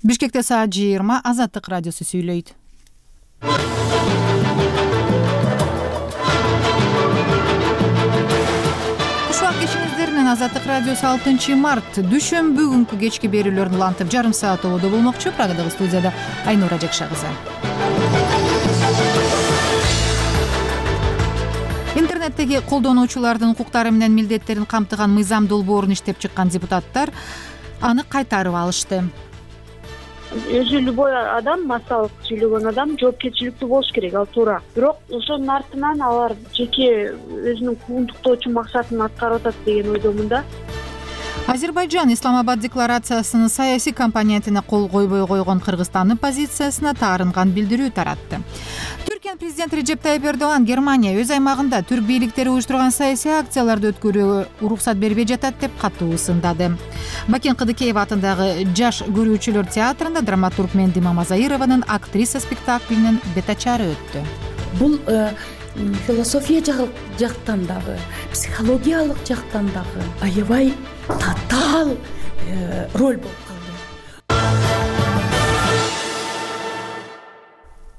Бишкекте саат 20 Азаттык радиосу сүйлөйт. Кушак кечиңиздер менен Азаттык радиосу 6 март дүшөмбү күнкү кечки берүүлөрүн улантып жарым саат ободо болмокчу. Прагадагы студияда Айнура Жакша кызы. Интернеттеги колдонуучулардын укуктары менен милдеттерин камтыган мыйзам долбоорун иштеп чыккан депутаттар аны кайтарып алышты. Өзү любой адам, массалык сүйлөгөн адам жоопкерчиликтүү болуш керек, ал туура. Бирок ошонун артынан алар жеке өзүнүн куугунтуктоочу максатын аткарып атат деген ойдомун да. Азербайжан Исламабад декларациясынын саясий компонентине кол койбой койгон Кыргызстандын позициясына таарынган билдирүү таратты. Түркиянын президенти Режеп Тайип Эрдоган Германия өз аймагында түрк бийликтери уюштурган саясий акцияларды өткөрүүгө уруксат бербей жатат деп катуу ысындады. Бакен Кыдыкеев атындагы Жаш көрүүчүлөр театрында драматург Менди Мамазаированын актриса спектаклинин бетачары өттү. Бул философия жактан дагы, психологиялык жактан дагы аябай татаал роль болуп калды.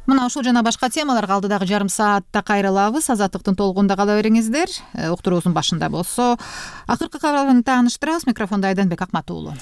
Мына ушул жана башка темаларга алдыдагы жарым саатта кайрылабыз. Азаттыктын толкунда кала бериңиздер. Уктуруубуздун башында болсо акыркы кабарын тааныштырабыз. Микрофондо Айданбек Акмат уулу.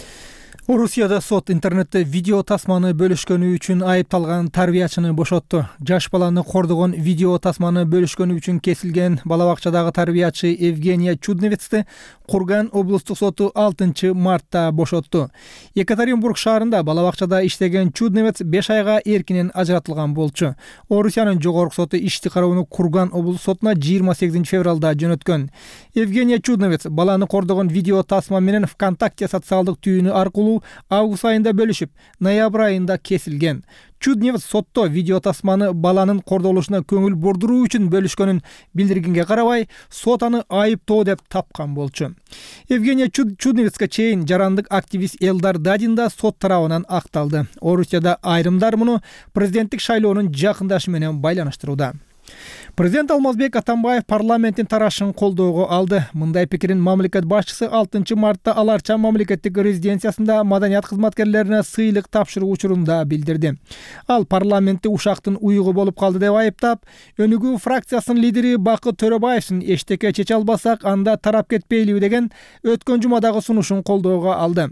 Орусияда сот интернетте видео тасманы бөлүшкөнү үчүн айыпталган тарбиячыны бошотту. Жаш баланы кордогон видео тасманы бөлүшкөнү үчүн кесилген бала бакчадагы тарбиячы Евгения Чудновецти Курган облустук соту 6 мартта бошотту. Екатеринбург шаарында бала бакчада иштеген Чудновец 5 айга эркинен ажыратылган болчу. Орусиянын жогорку соту ишти кароону Курган облустук сотуна 28 февралда жөнөткөн. Евгения Чудновец баланы кордогон видео тасма менен ВКонтакте социалдык түйүнү аркылуу август айында бөлүшүп, ноябрь айында кесилген. Чудновец сотто видео тасманы баланын кордолушуна көңүл бурдуруу үчүн бөлүшкөнүн билдиргенге карабай, сот аны айыптоо деп тапкан болчу. Евгения Чудновецке чейин жарандык активист Элдар Дадин да сот тарабынан акталды. Орусияда айрымдар муну президенттик шайлоонун жакындашы менен байланыштырууда. Президент Алмазбек Атамбаев парламенттин тарашын колдоого алды. Мындай пикирин мамлекет башчысы 6 мартта Аларча мамлекеттик резиденциясында маданият кызматкерлерине сыйлык тапшыруу учурунда билдирди. Ал парламентте ушактын уюгу болуп калды деп айыптап, Өнүгүү фракциясынын лидери Бакыт Төрөбаевдин эчтеке чече албасак, анда тарап кетпейлиби деген өткөн жумадагы сунушун колдоого алды.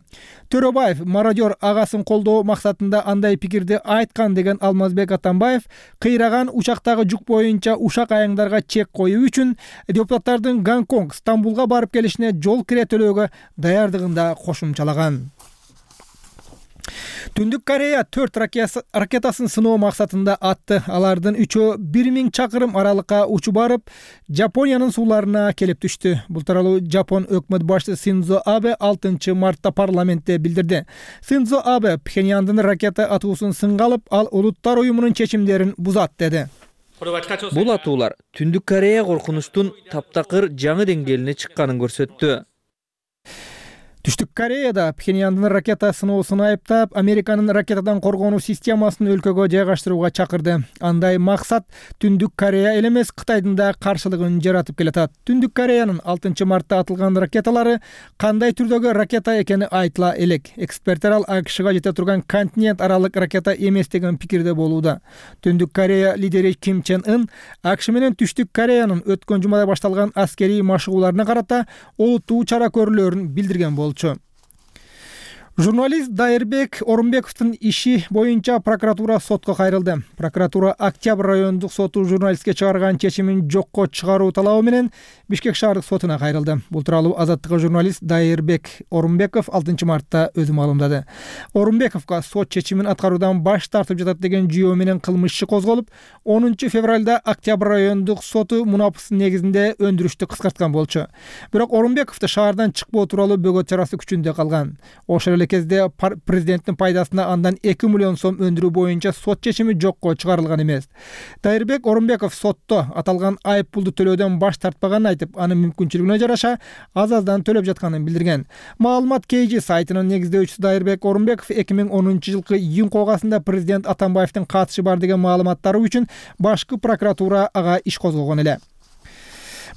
Төрөбаев мародер агасын колдоо максатында андай пикирди айткан деген Алмазбек Атамбаев кыйраган учактагы жүк боюнча ушак аяңдарга чек коюу үчүн депутаттардын Гонконг, Стамбулга барып келишине жол кире төлөөгө даярдыгында кошумчалаган. Түндүк Корея 4 ракетасын сыноо максатында атты. Алардын 3-өө 1000 чакырым аралыкка учуп барып, Жапониянын сууларына келип түштү. Бул тууралуу Жапон өкмөт башчысы Синдзо Абе 6 мартта парламентте билдирди. Синдзо Абе Пхеньяндын ракета атуусун сынга алып, ал Улуттар уюмунун чечимдерин бузат деди. Бул атуулар Түндүк Корея коркунучтун таптакыр жаңы деңгээлине чыкканын көрсөттү. Түштүк Кореяда Пхеньяндын ракета сыноосун айыптап, Американын ракетадан коргонуу системасын өлкөгө жайгаштырууга чакырды. Андай максат Түндүк Корея эле эмес, Кытайдын да каршылыгын жаратып келатат. Түндүк Кореянын 6 мартта атылган ракеталары кандай түрдөгү ракета экени айтыла элек. Эксперттер ал АКШга жете турган континент аралык ракета эмес деген пикирде болууда. Түндүк Корея лидери Ким Чен Ын АКШ менен Түштүк Кореянын өткөн жумада башталган аскерий машыгууларына карата олуттуу чара көрүүлөрүн билдирген болчу. Журналист Дайырбек Орунбековдун иши боюнча прокуратура сотко кайрылды. Прокуратура Октябрь райондук соту журналистке чыгарган чечимин жокко чыгаруу талабы менен Бишкек шаардык сотуна кайрылды. Бул тууралуу Азаттыкка журналист Дайырбек Орунбеков 6 мартта өзү маалымдады. Орунбековго сот чечимин аткаруудан баш тартып жатат деген жүйөө менен кылмыш иши козголуп, 10 февралда Октябрь райондук соту мунапыстын негизинде өндүрүштү кыскарткан болчу. Бирок Орунбековду шаардан чыкпоо тууралуу бөгөт чарасы күчүндө калган. Ошол эле кезде президенттин пайдасына андан 2 миллион сом өндүрүү боюнча сот чечими жокко чыгарылган эмес. Дайырбек Орунбеков сотто аталган айып пулду төлөөдөн баш тартпаганын айтып, анын мүмкүнчүлүгүнө жараша аз-аздан төлөп жатканын билдирген. Маалымат KG сайтынын негиздөөчүсү Дайырбек Орунбеков 2010 жылкы июнь когасында президент Атамбаевдин катышы бар деген маалыматтары үчүн башкы прокуратура ага иш козгогон эле.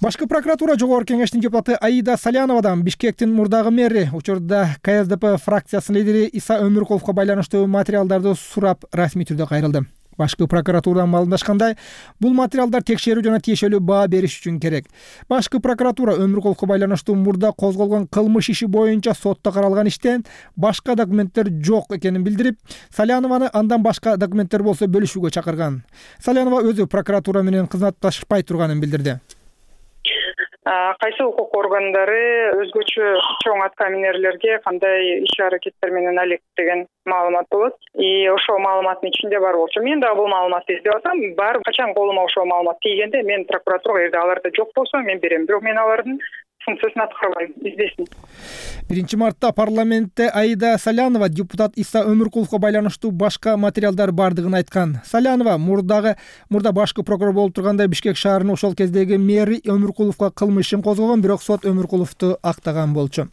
Башкы прокуратура жогорку кеңештин депутаты Аида Саляновадан Бишкектин мурдагы мэри учурда КСДП фракциясынын лидери Иса Өмүркуловго байланыштуу материалдарды сурап расмий түрдө кайрылды. Башкы прокуратурадан маалымдашкандай, бул материалдар текшерүү жана тиешелүү баа бериш үчүн керек. Башкы прокуратура Өмүркуловго байланыштуу мурда козголгон кылмыш иши боюнча сотто каралган иштен башка документтер жок экенин билдирип, Салянованы андан башка документтер болсо бөлүшүүгө чакырган. Салянова өзү прокуратура менен кызматташпай турганын билдирди. Кайсы укук органдары өзгөчө чоң аткаминерлерге кандай иш-аракеттер менен алек деген маалымат болот. Ошол маалыматтын ичинде бар болчу. Мен дагы бул маалыматты издеп атам. Бар качан колума ошол маалымат тийгенде мен прокуратурага эгерде аларда жок болсо мен берем. Бирок мен алардын функциясын аткарбайм, издесин. 1 мартта парламентте Аида Салянова депутат Иса Өмүркуловго байланыштуу башка материалдар бардыгын айткан. Салянова мурда башкы прокурор болуп турганда Бишкек шаарынын ошол кездеги мэри Өмүркуловго кылмыш ишин козгогон, бирок сот Өмүркуловду актаган болчу.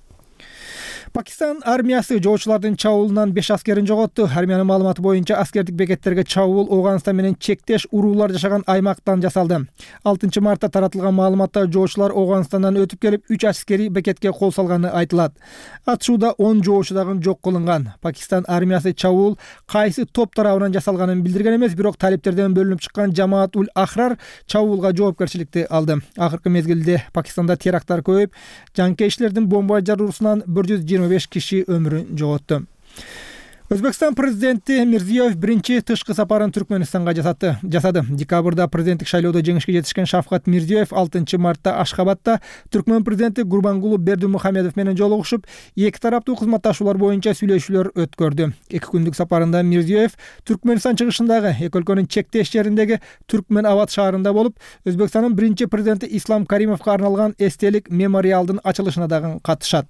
Пакистан армиясы жоочулардын чабуулунан 5 аскерин жоготту. Армиянын маалыматы боюнча аскердик бекеттерге чабуул Афганистан менен чектеш уруулар жашаган аймактан жасалды. 6 мартта таратылган маалыматта жоочулар Афганистандан өтүп келип 3 аскери бекетке кол салганы айтылат. Атышууда 10 жоочу дагы жок кылынган. Пакистан армиясы чабуул кайсы топ тарабынан жасалганын билдирген эмес, бирок талиптерден бөлүнүп чыккан Жамаат-уль Ахрар чабуулга жоопкерчиликти алды. Акыркы мезгилде Пакистанда теракттар көбөйүп, жанкейшилердин бомба жаруусунан 125 киши өмүрүн жоготту. Өзбекстан президенти Мирзиёев биринчи тышкы сапарын Түркменистанга жасады. Декабрда президенттик шайлоодо жеңишке жетишкен Шавкат Мирзиёев 6 мартта Ашхабадта Түркмен президенти Гурбангулу Бердимухамедов менен жолугушуп, эки тараптуу кызматташуулар боюнча сүйлөшүүлөр өткөрдү. 2 күндүк сапарында Мирзиёев Түркменстан чыгышындагы эки өлкөнүн чектеш жериндеги Түркмен Абад шаарында болуп, Өзбекстандын биринчи президенти Ислам Каримовго арналган эстелик мемориалдын ачылышына дагы катышат.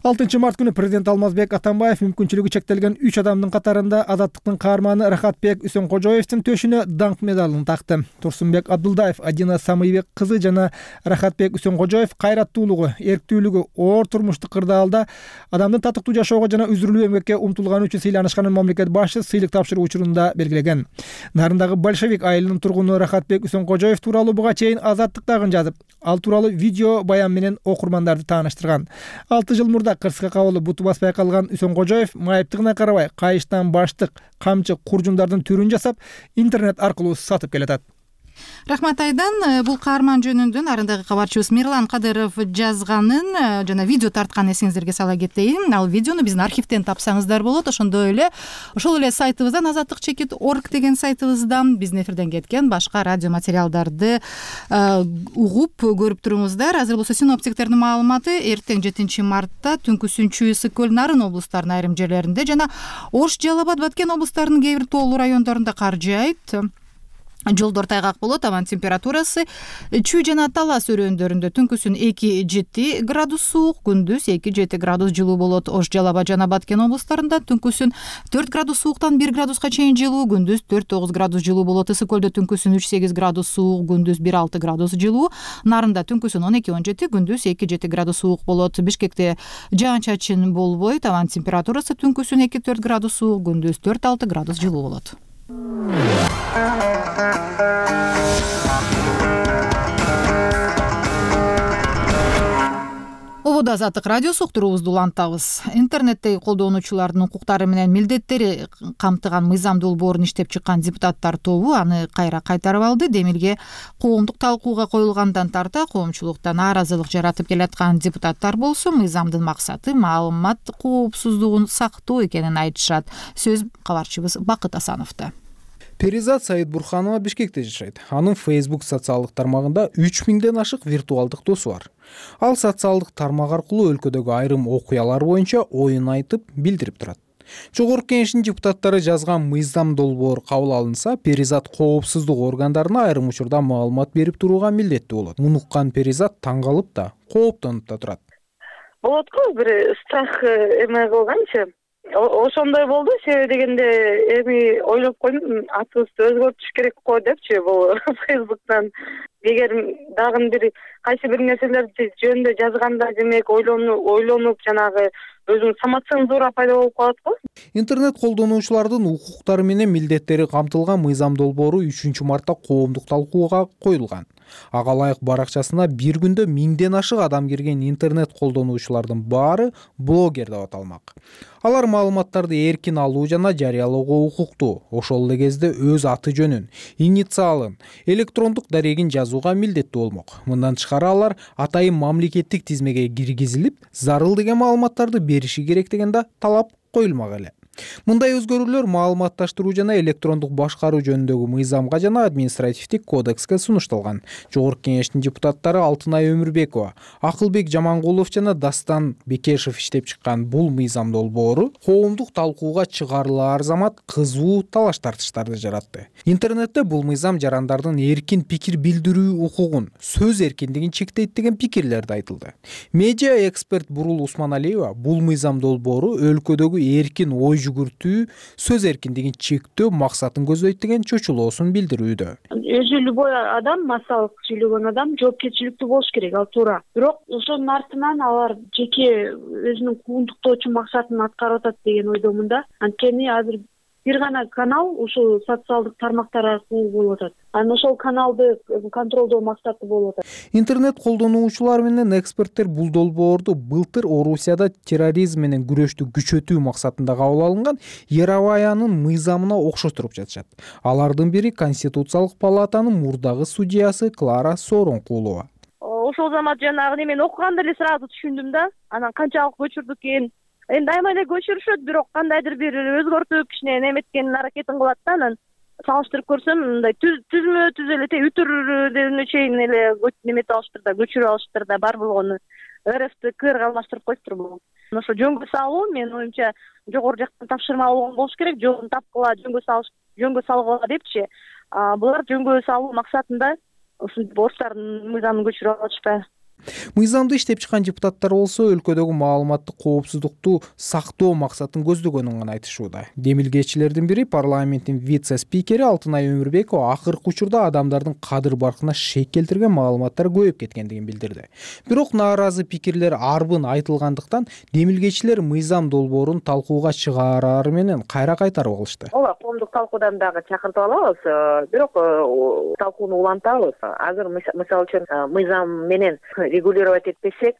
6 март күнү президент Алмазбек Атамбаев мүмкүнчүлүгү чектелген 3 адамдын катарында Азаттыктын каарманы Рахатбек Үсөнкожоевдин төшүнө даңк медалын такты. Турсунбек Абдулдаев, Адина Самыйбек кызы жана Рахатбек Үсөнкожоев кайраттуулугу, эрктүүлүгү, оор турмуштук кырдаалда адамдын татыктуу жашоого жана үзүрүлүү эмгекке умтулганы үчүн сыйланышканын мамлекет башчысы сыйлык тапшыруу учурунда белгилеген. Нарындагы большевик айылынын тургуну Рахатбек Үсөнкожоев тууралуу буга чейин Азаттыктагы жазып, ал тууралуу видео баян менен окурмандарды тааныштырган. 6 жыл мурда кырсыкка кабылып буту баспай калган Үсөнкожоев майыптыгына карабай кайыштан баштык, камчы, куржундардын түрүн жасап, интернет аркылуу сатып келатат. Рахмат Айдан. Бул каарман жөнүндө нарындагы кабарчыбыз Мирлан Кадыров жазганын жана видео тартканын эсиңиздерге сала кетейин. Ал видеону биздин архивден тапсаңыздар болот. Ошондой эле ошол эле сайтыбыздан azatlyk.org деген сайтыбыздан биздин эфирден кеткен башка радио материалдарды угуп көрүп туруңуздар. Азыр болсо синоптиктердин маалыматы эртең 7 мартта түнкүсүнчү Ысык көл, Нарын облустарынын айрым жерлеринде жана Ош, Жалал Абад, Баткен облустарынын кээ бир тоолуу райондорунда кар жаайт. Жолдор тайгак болот. Абан температурасы Чүй жана Талас өрөөндөрүндө түнкүсүн 2-7 градус суук, күндүз 2-7 градус жылуу болот. Ош, Жалал Абад жана Баткен облустарында түнкүсүн 4 градус сууктан 1 градуска чейин жылуу, күндүз 4-9 градус жылуу болот. Ысык көлдө түнкүсүн 3-8 градус суук, күндүз 1-6 градус жылуу. Нарында түнкүсүн 12-17, күндүз 2-7 градус суук болот. Бишкекте жаан-чачын болбойт. Абан температурасы түнкүсүн 2-4 градус суук, күндүз 4-6 градус жылуу болот. Ободо Азаттык радиосу уктуруубузду улантабыз. Интернеттеги колдонуучулардын укуктары менен милдеттери камтыган мыйзам долбоорун иштеп чыккан депутаттар тобу аны кайра кайтарып алды. Демилге коомдук талкууга коюлгандан тарта коомчулукта нааразылык жаратып келаткан депутаттар болсо мыйзамдын максаты маалымат коопсуздугун сактоо экенин айтышат. Сөз кабарчыбыз Бакыт Асановдо. Перизат Саидбурханова Бишкекте жашайт. Анын Facebook социалдык тармагында 3000ден ашык виртуалдык досу бар. Ал социалдык тармак аркылуу өлкөдөгү айрым окуялар боюнча оюн айтып, билдирип турат. Жогорку кеңештин депутаттары жазган мыйзам долбоор кабыл алынса, Перизат коопсуздук органдарына айрым учурда маалымат берип турууга милдеттүү болот. Муну уккан Перизат таң калып да, кооптонуп да турат. Болот го бир страх эме кылганчы. Ошондой болду, себеби дегенде эми ойлоп койдум, атыбызды өзгөртүш керек го депчи, бул Facebook'тан эгер дагы бир кайсы бир нерселерди жөнүндө жазганда демек ойлонуп жанагы өзүнүн самоцензура пайда болуп калат го. Интернет колдонуучулардын укуктары менен милдеттери камтылган мыйзам долбоору 3-мартта коомдук талкууга коюлган. Ага ылайык баракчасына бир күндө 1000ден ашык адам кирген интернет колдонуучулардын баары блогер деп аталмак. Алар маалыматтарды эркин алуу жана жарыялоого укуктуу, ошол эле кезде өз аты жөнүн, инициалын, электрондук дарегин жазууга милдеттүү болмок. Мындан тышкары алар атайын мамлекеттик тизмеге киргизилип, зарыл деген маалыматтарды бериши керек деген да талап коюлмак эле. Мындай өзгөрүүлөр маалыматташтыруу жана электрондук башкаруу жөнүндөгү мыйзамга жана административдик кодекске сунушталган. Жогорку кеңештин депутаттары Алтынай Өмүрбекова, Акылбек Жамангулов жана Дастан Бекешев иштеп чыккан бул мыйзам долбоору коомдук талкууга чыгарылаар замат кызуу талаш тартыштарды жаратты. Интернетте бул мыйзам жарандардын эркин пикир билдирүү укугун, сөз эркиндигин чектейт деген пикирлер да айтылды. Медиа эксперт Бурул Усманалиева бул мыйзам долбоору өлкөдөгү эркин ой жүгүртүү, сөз эркиндигин чектөө максатын көздөйт деген чочулоосун билдирүүдө. Өзү любой адам, массалык сүйлөгөн адам жоопкерчиликтүү болуш керек, ал туура. Бирок ошонун артынан алар жеке өзүнүн куугунтуктоочу максатын аткарып атат деген ойдомун да. Анткени азыр бир гана канал ушул социалдык тармактар аркылуу болуп атат. Анан ошол каналды контролдоо максаты болуп атат. Интернет колдонуучулар менен эксперттер бул долбоорду былтыр Орусияда терроризм менен күрөштү күчөтүү максатында кабыл алынган Яроваянын мыйзамына окшоштуруп жатышат. Алардын бири Конституциялык палатанын мурдагы судьясы Клара Сооронкулова. Ошол замат жанагы немени окуганда эле сразу түшүндүм да. Анан канчалык көчүрдүк экен. Эми айма эле көчүрүшөт, бирок кандайдыр бир өзгөртүп кичине неметкенин аракетин кылат да. Анан салыштырып көрсөм, мындай түзмө түз эле үтүрүнө чейин эле немете алыштыр да, көчүрүп алыштыр да, бар болгону РФТ КРга алмаштырып коюптур бул. Ошо жөнгө салуу менин оюмча жогору жактан тапшырма болгон болуш керек, жолун тапкыла, жөнгө салгыла депчи. Булар жөнгө салуу максатында ушинтип орустардын мыйзамын көчүрүп алышпайбы? Мыйзамды иштеп чыккан депутаттар болсо өлкөдөгү маалыматтык коопсуздукту сактоо максатын көздөгөнүн гана айтышууда. Демилгечилердин бири парламенттин вице-спикери Алтынай Өмүрбекова акыркы учурда адамдардын кадыр баркына шек келтирген маалыматтар көбөйүп кеткендигин билдирди. Бирок нааразы пикирлер арбын айтылгандыктан демилгечилер мыйзам долбоорун талкууга чыгарары менен кайра кайтарып алышты. Ооба, коомдук талкуудан дагы чакыртып алабыз, бирок талкууну улантабыз. Азыр мисалы үчүн мыйзам менен регулировать этпесек,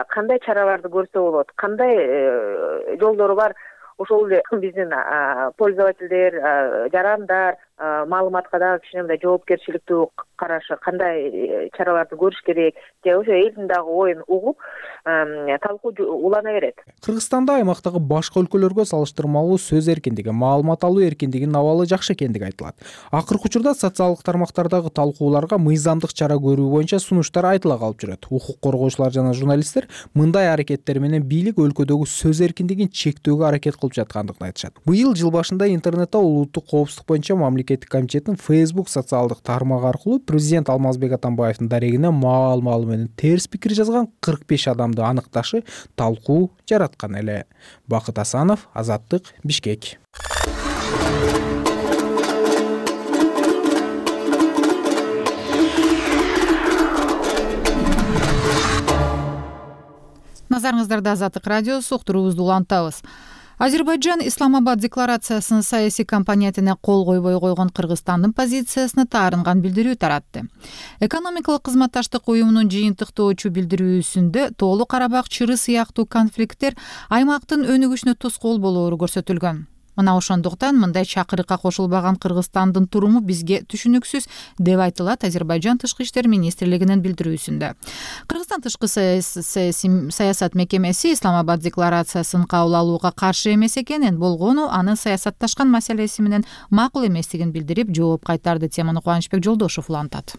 кандай чараларды көрсө болот, кандай жолдору бар, ошол эле биздин пользовательдер, жарандар маалыматка дагы кичине мындай жоопкерчиликтүү карашы, кандай чараларды көрүш керек, же ошо элдин дагы оюн угуп, талкуу улана берет. Кыргызстанда аймактагы башка өлкөлөргө салыштырмалуу сөз эркиндиги, маалымат алуу эркиндигинин абалы жакшы экендиги айтылат. Акыркы учурда социалдык тармактардагы талкууларга мыйзамдык чара көрүү боюнча сунуштар айтыла калып жүрөт. Укук коргоочулар жана журналисттер мындай аракеттер менен бийлик өлкөдөгү сөз эркиндигин чектөөгө аракет кылып жаткандыгын айтышат. Быйыл жыл башында интернетте улуттук коопсуздук боюнча мамлекеттик комитеттин Facebook социалдык тармагы аркылуу президент Алмазбек Атамбаевдин дарегине маал-маалы менен терс пикир жазган 45 адамды аныкташы талкуу жараткан эле. Бакыт Асанов, Азаттык, Бишкек. Назарыңыздарда Азаттык радиосу, уктуруубузду улантабыз. Азербайджан Исламабад декларациясынын саясий компонентине кол койбой койгон Кыргызстандын позициясына таарынган билдирүү таратты. Экономикалык кызматташтык уюмунун жыйынтыктоочу билдирүүсүндө Тоолу Карабак чыры сыяктуу конфликттер аймактын өнүгүшүнө тоскоол болоору көрсөтүлгөн. Мына ошондуктан мындай чакырыкка кошулбаган Кыргызстандын туруму бизге түшүнүксүз деп айтылат Азербайджан Тышкы иштер министрлигинин билдирүүсүндө. Кыргызстан тышкы саясат мекемеси Исламабад декларациясын кабыл алууга каршы эмес экенин, болгону анын саясатташкан маселеси менен макул эместигин билдирип жооп кайтарды. Теманы Кубанычбек Жолдошов улантат.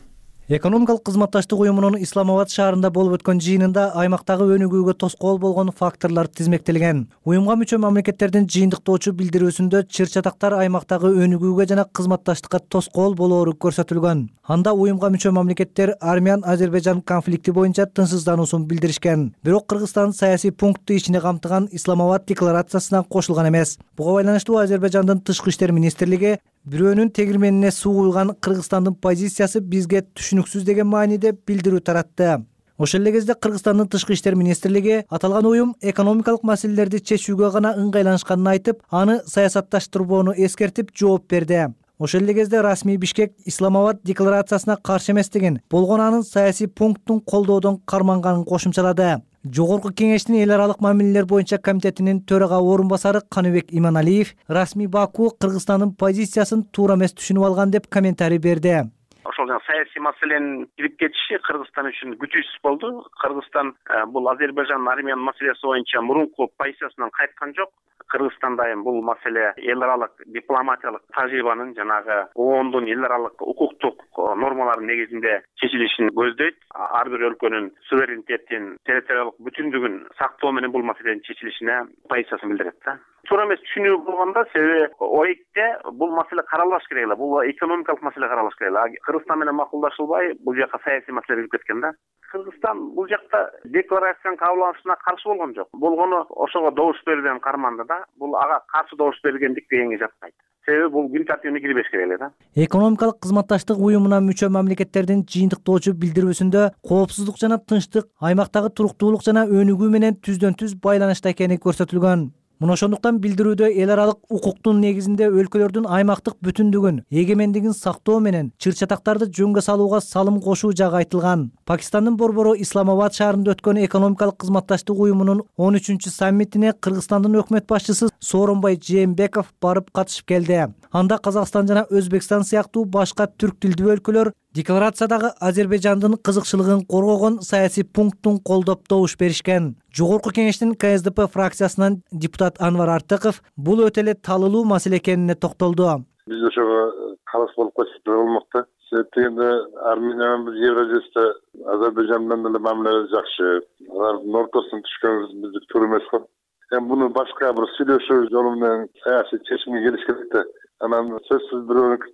Экономикалык кызматташтык уюмунун Исламабад шаарында болуп өткөн жыйынында аймактагы өнүгүүгө тоскоол болгон факторлор тизмектелген. Уюмга мүчө мамлекеттердин жыйынтыктоочу билдирүүсүндө чыр-чатактар аймактагы өнүгүүгө жана кызматташтыкка тоскоол болоору көрсөтүлгөн. Анда уюмга мүчө мамлекеттер Армян-Азербайджан конфликти боюнча тынчсыздануусун билдиришкен. Бирок Кыргызстан саясий пунктты ичине камтыган Исламабад декларациясына кошулган эмес. Буга байланыштуу Азербайджандын Тышкы иштер министрлиги бирөөнүн тегирменине суу куйган Кыргызстандын позициясы бизге түшүнүксүз деген мааниде билдирүү таратты. Ошол эле кезде Кыргызстандын тышкы иштер министрлиги аталган уюм экономикалык маселелерди чечүүгө гана ыңгайланышканын айтып, аны саясатташтырбоону эскертип жооп берди. Ошол эле кезде расмий Бишкек Исламабад декларациясына каршы эмес деген, болгону анын саясий пункттун колдоодон карманганын кошумчалады. Жогорку кеңештин эл аралык мамилелер боюнча комитетинин төрага орун басары Каныбек Иманалиев расмий Баку Кыргызстандын позициясын туура эмес түшүнүп алган деп комментарий берди. Ошол саясий маселенин кирип кетиши Кыргызстан үчүн күтүүсүз болду. Кыргызстан бул Азербайжан Армян маселеси боюнча мурунку позициясынан кайткан жок. Кыргызстан дайым бул маселе эл аралык дипломатиялык тажрыйбанын жанагы ООНдун эл аралык укуктук нормаларынын негизинде чечилишин көздөйт. Ар бир өлкөнүн суверенитетин, территориялык бүтүндүгүн сактоо менен бул маселенин чечилишине позициясын билдирет да. Туура эмес түшүнүү болгондо, себеби ОЭКте бул маселе каралбаш керек эле, бул экономикалык маселе каралбаш керек эле. Кыргызстан менен макулдашылбай, бул жака саясий маселе кирип кеткен да. Кыргызстан бул жакта декларациянын кабыл алынышына каршы болгон жок. Болгону ошого добуш берүүдөн карманды да. Бул ага каршы добуш бергендик дегенге жатпайт. Себеби бул күн тартибине кирбеш керек эле да. Экономикалык кызматташтык уюмуна мүчө мамлекеттердин жыйынтыктоочу билдирүүсүндө коопсуздук жана тынчтык аймактагы туруктуулук жана өнүгүү менен түздөн-түз байланышта экени көрсөтүлгөн. Мына ошондуктан билдирүүдө эл аралык укуктун негизинде өлкөлөрдүн аймактык бүтүндүгүн, эгемендигин сактоо менен чыр-чатактарды жөнгө салууга салым кошуу жагы айтылган. Пакистандын борбору Исламабад шаарында өткөн экономикалык кызматташтык уюмунун 13-чү саммитине Кыргызстандын өкмөт башчысы Сооронбай Жээнбеков барып катышып келди. Анда Казакстан жана Өзбекстан сыяктуу башка түрк тилдүү өлкөлөр декларациядагы Азербайжандын кызыкчылыгын коргогон саясий пункттун колдоп добуш беришкен. Жогорку кеңештин КСДП фракциясынан депутат Анвар Артыков бул өтө эле талылуу маселе экенине токтолду. Биз ошого караш болуп калсак болмокта. Себеп дегенде Армения менен Евразияда Азербайжан менен деле мамиле жакшы. Алардын ортосуна түшкөнүбүз биздики туура эмес го. Эми буну башка бир сүйлөшүү жолу менен саясий чечимге келиш керек да. Анан сөзсүз бирөөнүкү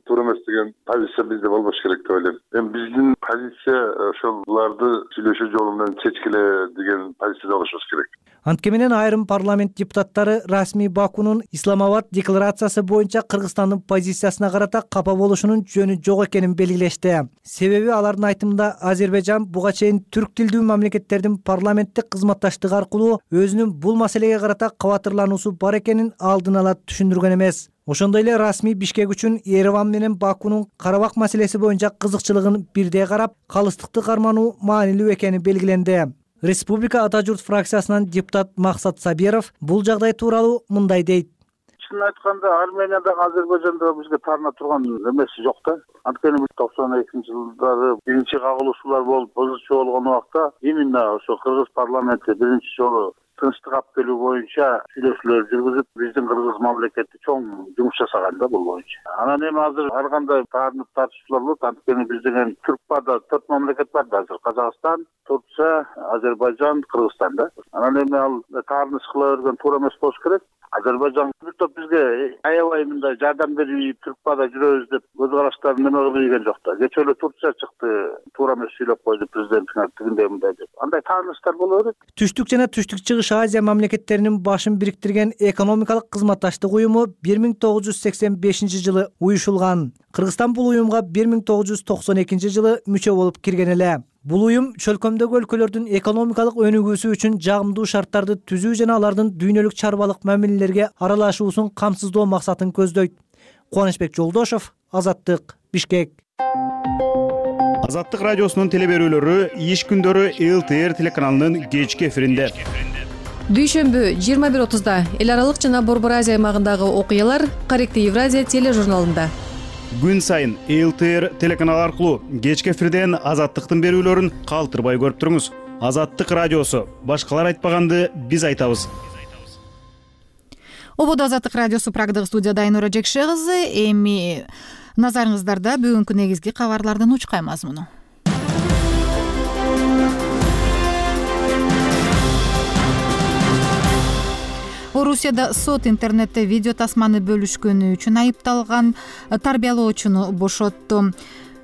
туура эмес деген позиция бизде болбош керек деп ойлойм. Эми биздин позиция ошол буларды сүйлөшүү жолу менен чечкиле деген позицияда болушубуз керек. Антке менен айрым парламент депутаттары расмий Бакунун Исламабад декларациясы боюнча Кыргызстандын позициясына карата капа болушунун жөнү жок экенин белгилешти. Себеби алардын айтымында Азербайжан буга чейин түрк тилдүү мамлекеттердин парламенттик кызматташтыгы аркылуу өзүнүн бул маселеге карата кабатырлануусу бар экенин алдын ала түшүндүргөн эмес. Ошондой эле расмий Бишкек үчүн Ереван менен Бакунун Карабак маселеси боюнча кызыкчылыгын бирдей карап, калыстыкты кармануу маанилүү экени белгиленди. Республика Ата журт фракциясынан депутат Максат Сабиров бул жагдай тууралуу мындай дейт. Чын айтканда, Армениядагы Азербайжанда бизге тарына турган эмеси жок да. Анткени 92-жылдары биринчи кагылышуулар болуп, позиция болгон убакта именно ошо Кыргыз парламенти биринчи жолу тынчтык алып келүү боюнча сүйлөшүүлөр жүргүзүп, биздин Кыргыз мамлекети чоң жумуш жасаган да бул боюнча. Анан эми азыр ар кандай тартып тартышуулар болот. Анткени биздин Түркпада 4 мамлекет бар да азыр: Казакстан, Турция, Азербайжан, Кыргызстан да. Анан эми ал таарыныш кыла берген туура эмес болуш керек. Азербайжан бизге аябай мындай жардам берип Түркпада жүрөбүз деп көз караштарын неме кылып ийген жок да. Кечээ эле Турция чыкты, туура эмес сүйлөп койду президенттиңер тигиндей мындай деп. Андай таарыныштар боло берет. Түштүк жана түштүк чыгыш Азия мамлекеттеринин башын бириктирген экономикалык кызматташтык уюму 1985-жылы уюшулган. Кыргызстан бул уюмга 1992-жылы мүчө болуп кирген эле. Бул уюм чөлкөмдөгү өлкөлөрдүн экономикалык өнүгүүсү үчүн жагымдуу шарттарды түзүү жана алардын дүйнөлүк чарбалык мамилелерге аралашуусун камсыздоо максатын көздөйт. Кубанычбек Жолдошов, Азаттык, Бишкек. Азаттык радиосунун телеберүүлөрү иш күндөрү ЛТР телеканалынын кечки эфиринде. Дүйшөмбү 21:30 эл аралык жана Борбор Азия аймагындагы окуялар Корректив Евразия тележурналында. Күн сайын ЛТР телеканалы аркылуу кечки эфирден Азаттыктын берүүлөрүн калтырбай көрүп туруңуз. Азаттык радиосу. Башкалар айтпаганды биз айтабыз. Ободо Азаттык радиосу Прагдагы студияда Айнура Жекше кызы. Эми назарыңыздарда бүгүнкү негизги кабарлардын учкай мазмуну. Орусияда сот интернетте видео тасманы бөлүшкөнү үчүн айыпталган тарбиялоочуну бошотту.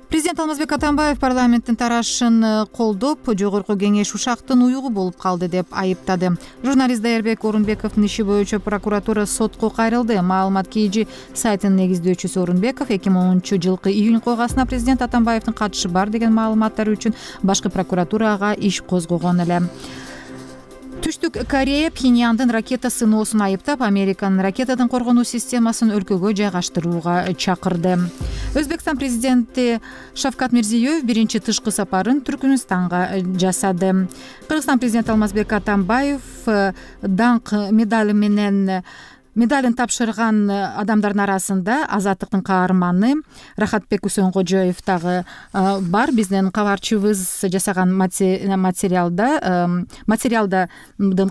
Президент Алмазбек Атамбаев парламенттин тарашын колдоп, жогорку кеңеш ушактын уюгу болуп калды деп айыптады. Журналист Даярбек Орунбековдун иши боюнча прокуратура сотко кайрылды. Маалымат KG сайтынын негиздөөчүсү Орунбеков 2010-жылкы июнь койгасына президент Атамбаевдин катышы бар деген маалыматтар үчүн башкы прокуратурага иш козгогон эле. Түштүк Корея Пхеньяндын ракета сыноосун айыптап, Американын ракетадан коргонуу системасын өлкөгө жайгаштырууга чакырды. Өзбекстан президенти Шавкат Мирзиёев биринчи тышкы сапарын Түркмөнстанга жасады. Кыргызстан президенти Алмазбек Атамбаев даңк медалин тапшырган адамдардын арасында Азаттыктын каарманы Рахатбек Усенгожоев дагы бар. Биздин кабарчыбыз жасаган материалдын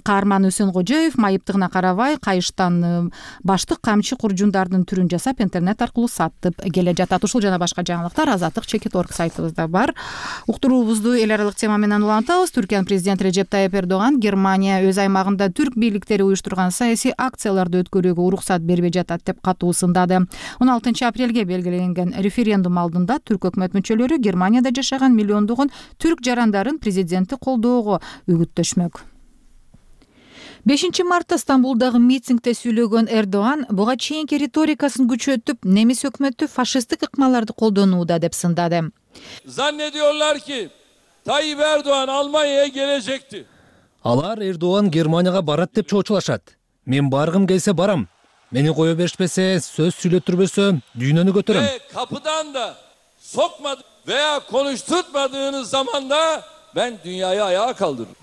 каарманы Усенгожоев майыптыгына карабай кайыштан баштык камчы куржундардын түрүн жасап интернет аркылуу сатып келе жатат. Ушул жана башка жаңылыктар Азаттык.org сайтыбызда бар. Уктуруубузду эл аралык тема менен улантабыз. Түркиянын президенти Режеп Тайып Эрдоган Германия өз аймагында түрк бийликтери уюштурган саясий акцияларды өткөрүүгө уруксат бербей жатат деп катуу сындады. 16 апрелге белгиленген референдум алдында түрк өкмөт мүчөлөрү Германияда жашаган миллиондогон түрк жарандарын президентти колдоого үгүттөшмөк. 5 мартта Стамбулдагы митингде сүйлөгөн Эрдоган буга чейинки риторикасын күчөтүп, немис өкмөтү фашисттик ыкмаларды колдонууда деп сындады. Zannediyorlar ki Tayyip Erdoğan Almanya'ya gelecekti. Алар Эрдоган Германияга барат деп чоочулашат. Мен баргым келсе барам. Мени кое беришпесе, сөз сүйлөтүрбөсө, дүйнөнү көтөрөм. Kapıdan da sokmadı veya konuşturtmadığınız zaman da ben dünyayı ayağa kaldırırım.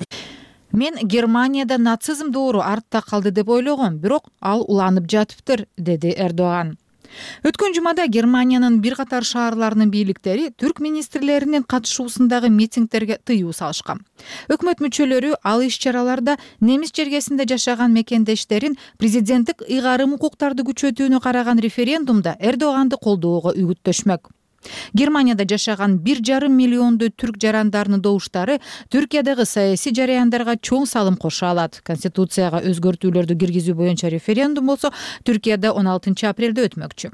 Мен Германияда нацизм доору артта калды деп ойлогом, бирок ал уланып жатыптыр, деди Эрдоган. Өткөн жумада Германиянын бир катар шаарларынын бийликтери түрк министрлеринин катышуусундагы митингдерге тыюу салышкан. Өкмөт мүчөлөрү ал иш-чараларда немис жергесинде жашаган мекендештерин президенттик ыйгарым укуктарды күчөтүүнү караган референдумда Эрдоганды колдоого үгүттөшмөк. Германияда жашаган 1,5 миллиондой түрк жарандарынын добуштары Түркиядагы саясий жараяндарга чоң салым кошо алат. Конституцияга өзгөртүүлөрдү киргизүү боюнча референдум болсо Түркияда 16 апрелде өтмөкчү.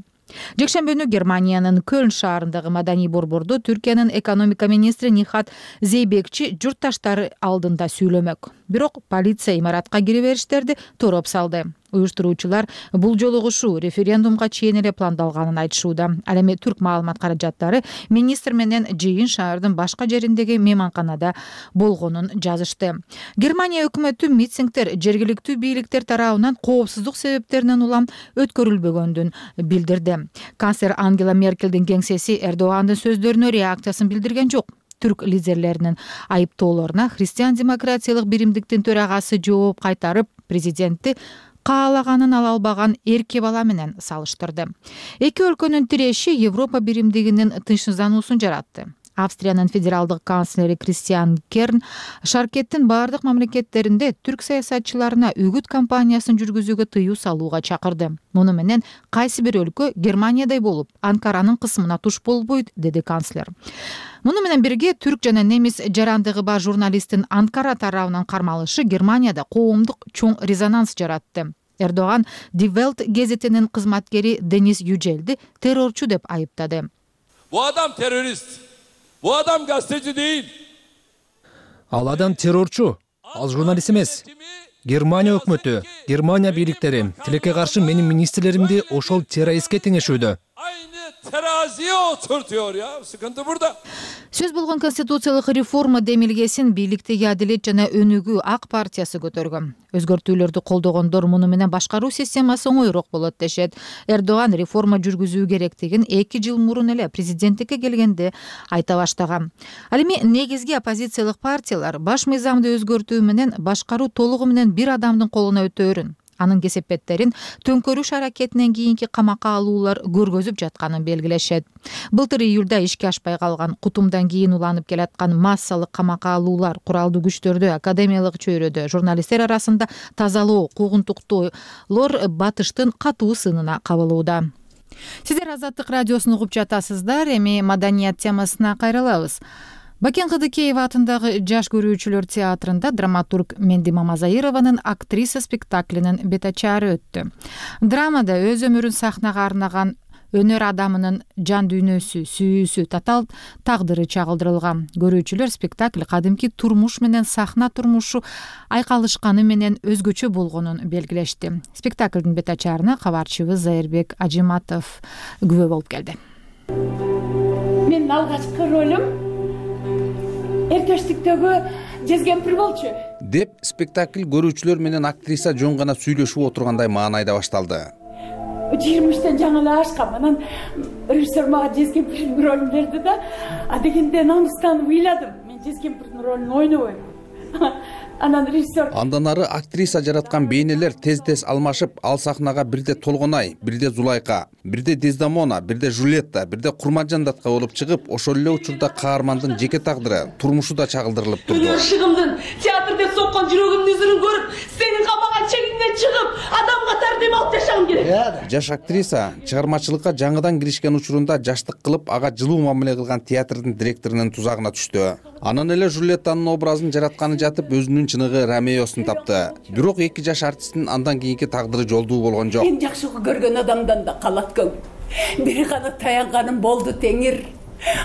Жекшембүнү Германиянын Кöln шаарындагы маданий борбордо Түркиянын экономика министри Нихат Зейбекчи журтташтары алдында сүйлөмөк. Бирок полиция имаратка кире бериштерди тороп салды. Уюштуруучулар бул жолу ушул референдумга чейин эле пландалганын айтышууда. Ал эми түрк маалымат каражаттары министр менен жыйын шаардын башка жериндеги мейманканада болгонун жазышты. Германия өкмөтү митингдер жергиликтүү бийликтер тарабынан коопсуздук себептеринен улам өткөрүлбөгөндүн билдирди. Канцлер Ангела Меркелдин кеңсеси Эрдогандын сөздөрүнө реакциясын билдирген жок. Түрк лидерлеринин айыптоолоруна христиан-демократиялык биримдиктин төрагасы жооп кайтарып, президентти каалаганын ала албаган эрке бала менен салыштырды. Эки өлкөнүн тиреши Европа биримдигинин тынчсыздануусун жаратты. Австриянын федералдык канцлери Кристиан Керн шаркеттин бардык мамлекеттеринде түрк саясатчыларына үгүт кампаниясын жүргүзүүгө тыюу салууга чакырды. Муну менен кайсы бир өлкө Германиядай болуп, Анкаранын кысымына туш болбойт, деди канцлер. Муну менен бирге түрк жана немис жарандыгы бар журналисттин Анкара тарабынан кармалышы Германияда коомдук чоң резонанс жаратты. Эрдоган Die Welt гезитинин кызматкери Денис Yücel'ди террорчу деп айыптады. Bu adam terörist. Bu adam gazeteci değil. Ал адам террорчу, ал журналист эмес. Германия өкмөтү, Германия бийликтери тилекке каршы менин министрлеримди ошол террористке теңешүүдө. Teraziye oturtuyor ya. Sıkıntı burada. Сөз болгон конституциялык реформа демилгесин бийликтеги Адилет жана Өнүгүү ак партиясы көтөргөн. Өзгөртүүлөрдү колдогондор муну менен башкаруу системасы оңойрок болот дешет. Эрдоган реформа жүргүзүү керектигин 2 жыл мурун эле президенттикке келгенде айта баштаган. Ал эми негизги оппозициялык партиялар баш мыйзамды өзгөртүү менен башкаруу толугу менен бир адамдын колуна өтөөрүн, анын кесепеттерин төңкөрүш аракетинен кийинки камакка алуулар көргөзүп жатканын белгилешет. Былтыр июлда ишке ашпай калган, кутумдан кийин уланып келаткан массалык камакка алуулар куралдуу күчтөрдө, академиялык чөйрөдө, журналисттер арасында тазалоо, куугунтуктоолор батыштын катуу сынына кабылууда. Сиздер Азаттык радиосун угуп жатасыздар. Эми маданият темасына кайрылабыз. Бакен Кыдыкеева атындагы жаш көрүүчүлөр театрында драматург Менди Мамазаированын актриса спектаклинин бетачары өттү. Драмада өз өмүрүн сахнага арнаган өнөр адамынын жан дүйнөсү, сүйүүсү, татаал тагдыры чагылдырылган. Көрүүчүлөр спектакль кадимки турмуш менен сахна турмушу айкалышканы менен өзгөчө болгонун белгилешти. Спектаклдын бет ачарына кабарчыбыз Зайырбек Ажиматов күбө болуп келди. Менин алгачкы ролум эркештиктеги жезгемпир болчу деп спектакль көрүүчүлөр менен актриса жөн гана сүйлөшүп отургандай маанайда башталды. 23-тен жаңы эле ашкам. Анан режиссер мага жезгемпирдин ролун берди да, дегенде намыстан ыйладым. Мен жезгемпирдин ролун ойнобойм. Анан режиссер Андан ары актриса жараткан бейнелер тез-тез алмашып, ал сахнага бирде Толгонай, бирде Зулайка, бирде Дездамона, бирде Жулетта, бирде Курманжан датка болуп чыгып, ошол эле учурда каармандын жеке тагдыры, турмушу да чагылдырылып турду. Өнөршыгымдын театрда соккон жүрөгүмдүн үзүрүн көрүп, сенин камаган чегиңден чыгып, адам катары дем алып жашагым керек. Жаш актриса чыгармачылыкка жаңыдан киришкен учурунда жаштык кылып, ага жылуу мамиле кылган театрдын директорунун тузагына түштү. Анан эле Жулеттанын образын жаратканы жатып, өзүнүн чыныгы Ромеосун тапты. Бирок 2 жаш артисттин андан кийинки тагдыры жолдуу болгон жок. Мен жакшы көргөн адамдан да калат көң. Бир гана таянганым болду теңир.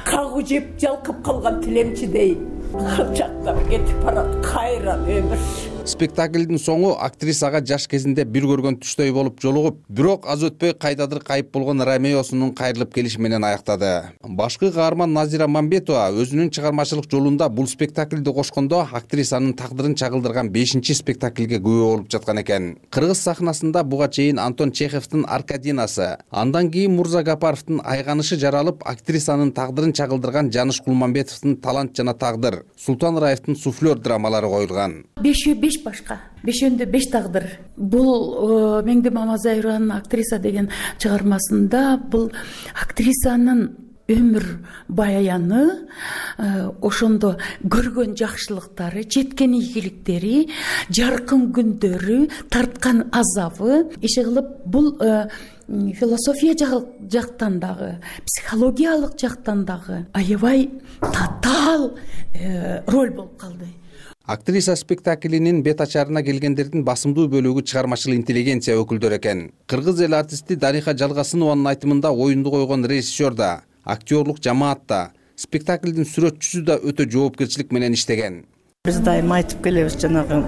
Кагуу жеп жалкып калган тилемчидей. Калчактап кетип барат кайран өмүр. Спектаклдин соңу актрисага жаш кезинде бир көргөн түштөй болуп жолугуп, бирок аз өтпөй кайдадыр кайып болгон Ромеосунун кайрылып келиши менен аяктады. Башкы каарман Назира Мамбетова өзүнүн чыгармачылык жолунда бул спектаклди кошкондо актрисанын тагдырын чагылдырган 5-спектаклге күбө болуп жаткан экен. Кыргыз сахнасында буга чейин Антон Чеховдун Аркадинасы, андан кийин Мурза Гапаровдун Айганышы жаралып, актрисанын тагдырын чагылдырган Жаныш Кулманбетовдун Талант жана тагдыр, Султан Раевдин Суфлер драмалары коюлган. 5 башка, 5-өндө 5 тагдыр. Бул Меңди Мамазаеванын Актриса деген чыгармасында бул актрисанын өмүр баяны, ошондо көргөн жакшылыктары, жеткен ийгиликтери, жаркын күндөрү, тарткан азабы, иши кылып бул философия жактан дагы, психологиялык жактан дагы аябай татаал роль болуп калды. Актриса спектаклинин бет ачарына келгендердин басымдуу бөлүгү чыгармачыл интеллигенция өкүлдөрү экен. Кыргыз эл артисти Дариха Жалгасынованын айтымында оюнду койгон режиссер да, актерлук жамаат да, спектаклдин сүрөтчүсү да өтө жоопкерчилик менен иштеген. Биз дайым айтып келебиз, жанагы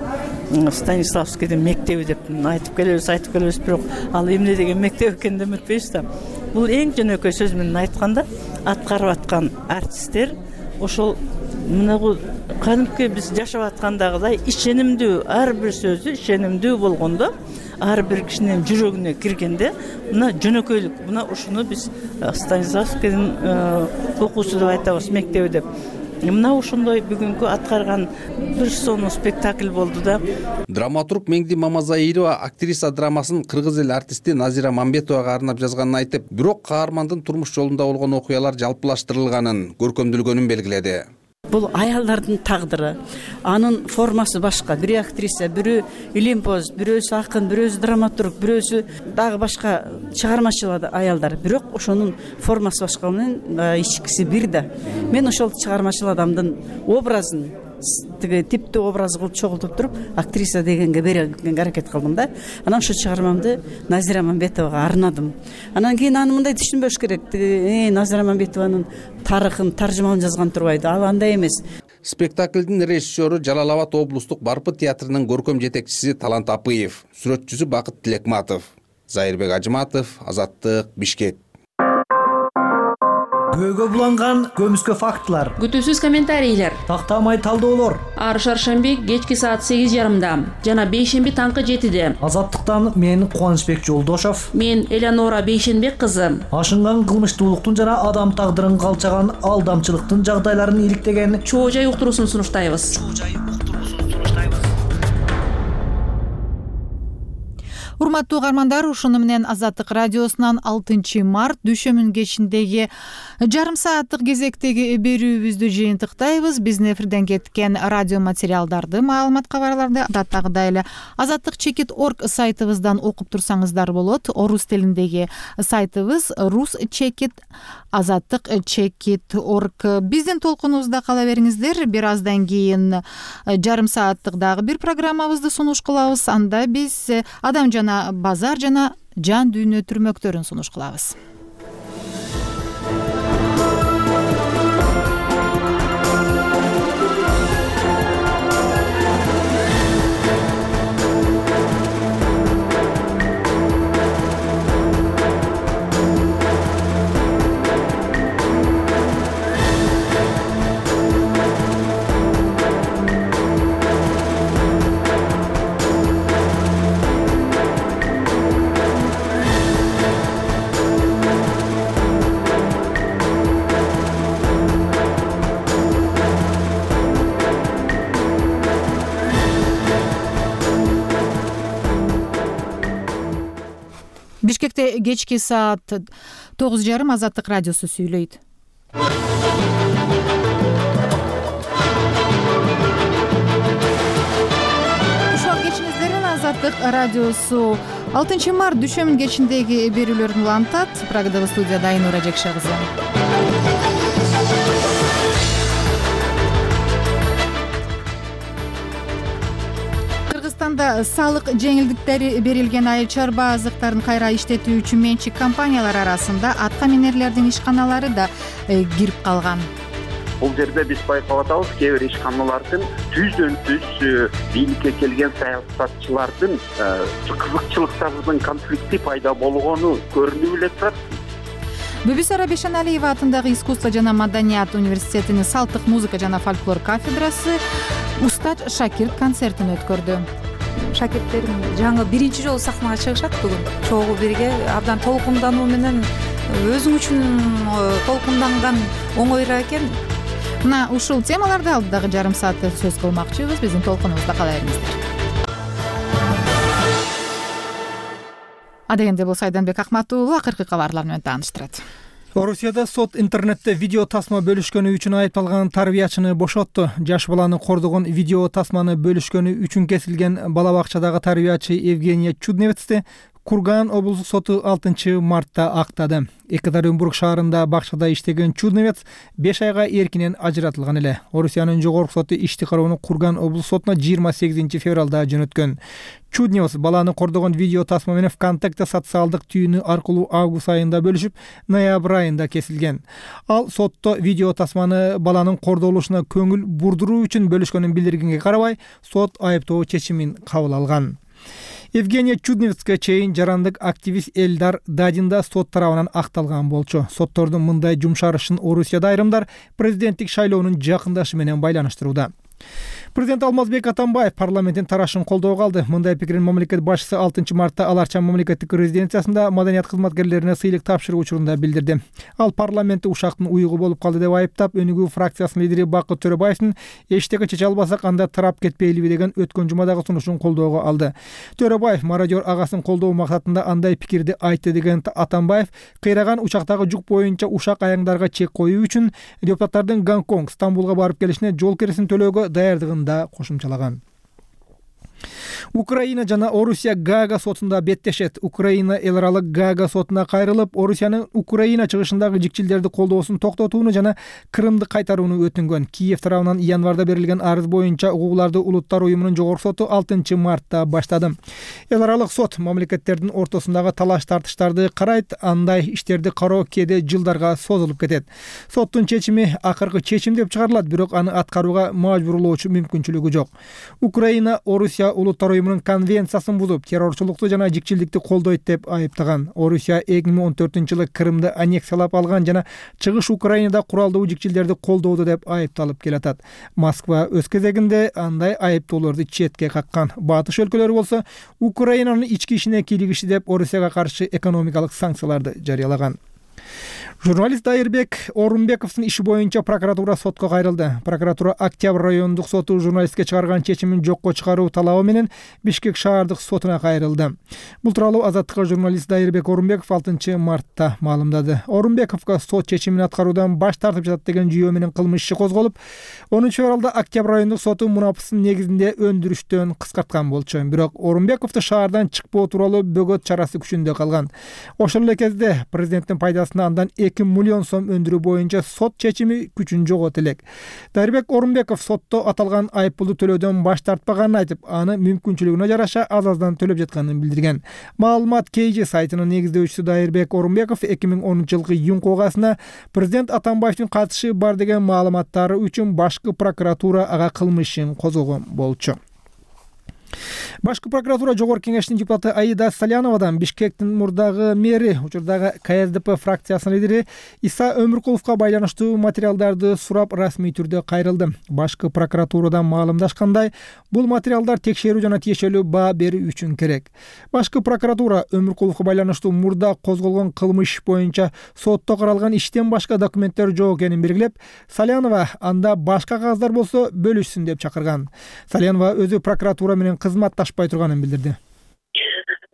Станиславскийдин мектеби деп айтып келебиз, бирок ал эмне деген мектеп экенин да үмүтпөйбүз да. Бул эң жөнөкөй сөз менен айтканда, аткарып аткан артисттер ошол мына бул кадимки биз жашап аткандагыдай ишенимдүү, ар бир сөзү ишенимдүү болгондо, ар бир кишинин жүрөгүнө киргенде, мына жөнөкөйлүк, мына ушуну биз Станиславскийдин окуусу деп айтабыз, мектеби деп. Мына ошондой бүгүнкү аткарган бир сонун спектакль болду да. Драматург Меңди Мамазаирова актриса драмасын кыргыз эл артисти Назира Мамбетовага арнап жазганын айтып, бирок каармандын турмуш жолунда болгон окуялар жалпылаштырылганын, көркөмдүлгөнүн белгиледи. Бул аялдардын тагдыры, анын формасы башка. Бири актриса, бири илимпоз, бирөөсү акын, бирөөсү драматург, бирөөсү дагы башка чыгармачыл аялдар. Бирок ошонун формасы башка менен ичкиси бир да. Мен ошол чыгармачыл адамдын образын тиги типтүү образ кылып чогултуп туруп, актриса дегенге берүүгө аракет кылдым да. Анан ошо чыгармамды Назира Мамбетовага арнадым. Анан кийин аны мындай түшүнбөш керек. Назира Мамбетованын тарыхын, таржымалын жазган турбайды. Ал андай эмес. Спектаклдин режиссеру Жалал Абад облустук Барпыт театрынын көркөм жетекчиси Талант Апыев, сүрөтчүсү Бакыт Тилекматов. Зайырбек Ажиматов, Азаттык, Бишкек. Көөгө буланган көмүскө фактылар, күтүүсүз комментарийлер, тактамай талдоолор. Ар шаршемби кечки саат 8:30, жана бейшемби таңкы 7-де. Азаттыктан мен Кубанычбек Жолдошов, мен Элеонора Бейшенбек кызы. Ашынган кылмыштуулуктун жана адам тагдырын калчаган алдамчылыктын жагдайларын иликтеген чоо жай уктуруусун сунуштайбыз. Урматтуу угармандар, ушуну менен Азаттык радиосунан 6 март дүйшөмүн кечиндеги жарым сааттык кезектеги берүүбүздү жыйынтыктайбыз. Биздин эфирден кеткен радио материалдарды, маалымат кабарларды адаттагыдай эле azattikchekit.org сайтыбыздан окуп турсаңыздар болот. Орус тилиндеги сайтыбыз ruschekit azattikchekit.org. Биздин толкунубузда кала бериңиздер. Бир аздан кийин жарым сааттык дагы бир программабызды сунуш кылабыз. Анда биз адам жана базар жана жан дүйнө түрмөктөрүн сунуш кылабыз. Бишкекте кечки саат 9:30 Азаттык радиосу сүйлөйт. Ушул кечиңиздерин Азаттык радиосу 6 март дүшөмүн кечиндеги берүүлөрүн улантат. Прагадагы студияда Айнура Жекше кызы. Кыргызстанда салык жеңилдиктери берилген айыл чарба азыктарын кайра иштетүү үчүн менчик компаниялар арасында атка минерлердин ишканалары да кирип калган. Бул жерде биз байкап атабыз, кээ бир ишканалардын түздөн түз бийликке келген саясатчылардын кызыкчылыктарынын конфликти пайда болгону көрүнүп эле турат. Бүбүсара Бешеналиева атындагы искусство жана маданият университетинин салттык музыка жана фольклор кафедрасы устат шакирт концертин өткөрдү. Шакирттерим жаңы биринчи жолу сахнага чыгышат бүгүн. Чогуу бирге абдан толкундануу менен өзүң үчүн толкунданган оңойраак экен. Мына ушул темаларды алдыдагы жарым саатта сөз кылмакчыбыз. Биздин толкунубузда кала бериңиздер. Адегенде болсо Айданбек Акматуулу акыркы кабарлар менен тааныштырат. Орусияда сот интернетте видео тасма бөлүшкөнү үчүн айыпталган тарбиячыны бошотту. Жаш баланы кордогон видео тасманы бөлүшкөнү үчүн кесилген бала бакчадагы тарбиячы Евгения Чудневецти Курган облустук соту 6 мартта актады. Екатеринбург шаарында бакчада иштеген Чудневец 5 айга эркинен ажыратылган эле. Орусиянын жогорку соту ишти кароону Курган облустук сотуна 28 февралда жөнөткөн. Чудневец баланы кордогон видео тасма менен ВКонтакте социалдык түйүнү аркылуу август айында бөлүшүп, ноябрь айында кесилген. Ал сотто видео тасманы баланын кордолушуна көңүл бурдуруу үчүн бөлүшкөнүн билдиргенге карабай, сот айыптоо чечимин кабыл алган. Евгения Чудневецке чейин жарандык активист Элдар Дадин да сот тарабынан акталган болчу. Соттордун мындай жумшарышын Орусияда айрымдар президенттик шайлоонун жакындашы менен байланыштырууда. Президент Алмазбек Атамбаев парламенттин тарашын колдоого алды. Мындай пикирин мамлекет башчысы 6 мартта Аларча мамлекеттик резиденциясында маданият кызматкерлерине сыйлык тапшыруу учурунда билдирди. Ал парламентте ушактын уйгу болуп калды деп айыптап, Өнүгүү фракциясынын лидери Бакыт Төрөбаевдин эчтеке чече албасак анда тарап кетпейлиби деген өткөн жумадагы сунушун колдоого алды. Төрөбаев мародер агасын колдоо максатында андай пикирди айтты деген Атамбаев кыйраган учактагы жүк боюнча ушак аяңдарга чек коюу үчүн депутаттардын Гонконг, Стамбулга барып келишине жол киресин төлөөгө даярдыгын да кошумчалаган. Украина жана Орусия Гаага сотунда беттешет. Украина эл аралык Гаага сотуна кайрылып, Орусиянын Украина чыгышындагы жикчилдерди колдоосун токтотууну жана Крымды кайтарууну өтүнгөн. Киев тарабынан январда берилген арыз боюнча укуктарды улуттар уюмунун жогорку соту 6 мартта баштады. Эл аралык сот мамлекеттердин ортосундагы талаш тартыштарды карайт, андай иштерди кароо кээде жылдарга созулуп кетет. Соттун чечими акыркы чечим деп чыгарылат, бирок аны аткарууга мажбурлоочу мүмкүнчүлүгү жок. Украина Орусия улуттар уюмунун конвенциясын бузуп, террорчулукту жана жикчилдикти колдойт деп айыптаган. Орусия 2014-жылы Крымды аннексиялап алган жана чыгыш Украинада куралдуу жикчилдерди колдоду деп айыпталып келатат. Москва өз кезегинде андай айыптоолорду четке каккан. Батыш өлкөлөрү болсо Украинанын ички ишине кийлигишти деп Орусияга каршы экономикалык санкцияларды жарыялаган. Журналист Дайырбек Орунбековдун иши боюнча прокуратура сотко кайрылды. Прокуратура Октябрь райондук соту журналистке чыгарган чечимин жокко чыгаруу талабы менен Бишкек шаардык сотуна кайрылды. Бул тууралуу Азаттыкка журналист Дайырбек Орунбеков 6 мартта маалымдады. Орунбековго сот чечимин аткаруудан баш тартып жатат деген жүйөө менен кылмыш иши козголуп, 10 февралда Октябрь райондук соту мунапыстын негизинде өндүрүштөн кыскарткан болчу. Бирок Орунбековду шаардан чыкпоо тууралуу бөгөт чарасы күчүндө калган. Ошол эле кезде президенттин пайдасына андан 2 миллион сом өндүрүү боюнча сот чечими күчүн жоготот элек. Дайырбек Орунбеков сотто аталган айыппулду төлөөдөн баш тартпаганын айтып, аны мүмкүнчүлүгүнө жараша аз-аздан төлөп жатканын билдирген. Маалымат KG сайтынын негиздөөчүсү Дайырбек Орунбеков 2010-жылкы июнь окугасына президент Атамбаевдин катышы бар деген маалыматтары үчүн башкы прокуратура ага кылмыш ишин козгогон болчу. Башкы прокуратура жогорку кеңештин депутаты Аида Саляновадан Бишкектин мурдагы мэри, учурдагы КСДП фракциясынын лидери Иса Өмүркуловго байланыштуу материалдарды сурап расмий түрдө кайрылды. Башкы прокуратурадан маалымдашкандай, бул материалдар текшерүү жана тиешелүү баа берүү үчүн керек. Башкы прокуратура Өмүркуловго байланыштуу мурда козголгон кылмыш боюнча сотто каралган иштен башка документтер жок экенин белгилеп, Салянова анда башка кагаздар болсо бөлүшсүн деп чакырган. Салянова өзү прокуратура менен кызматташпай турганын билдирди.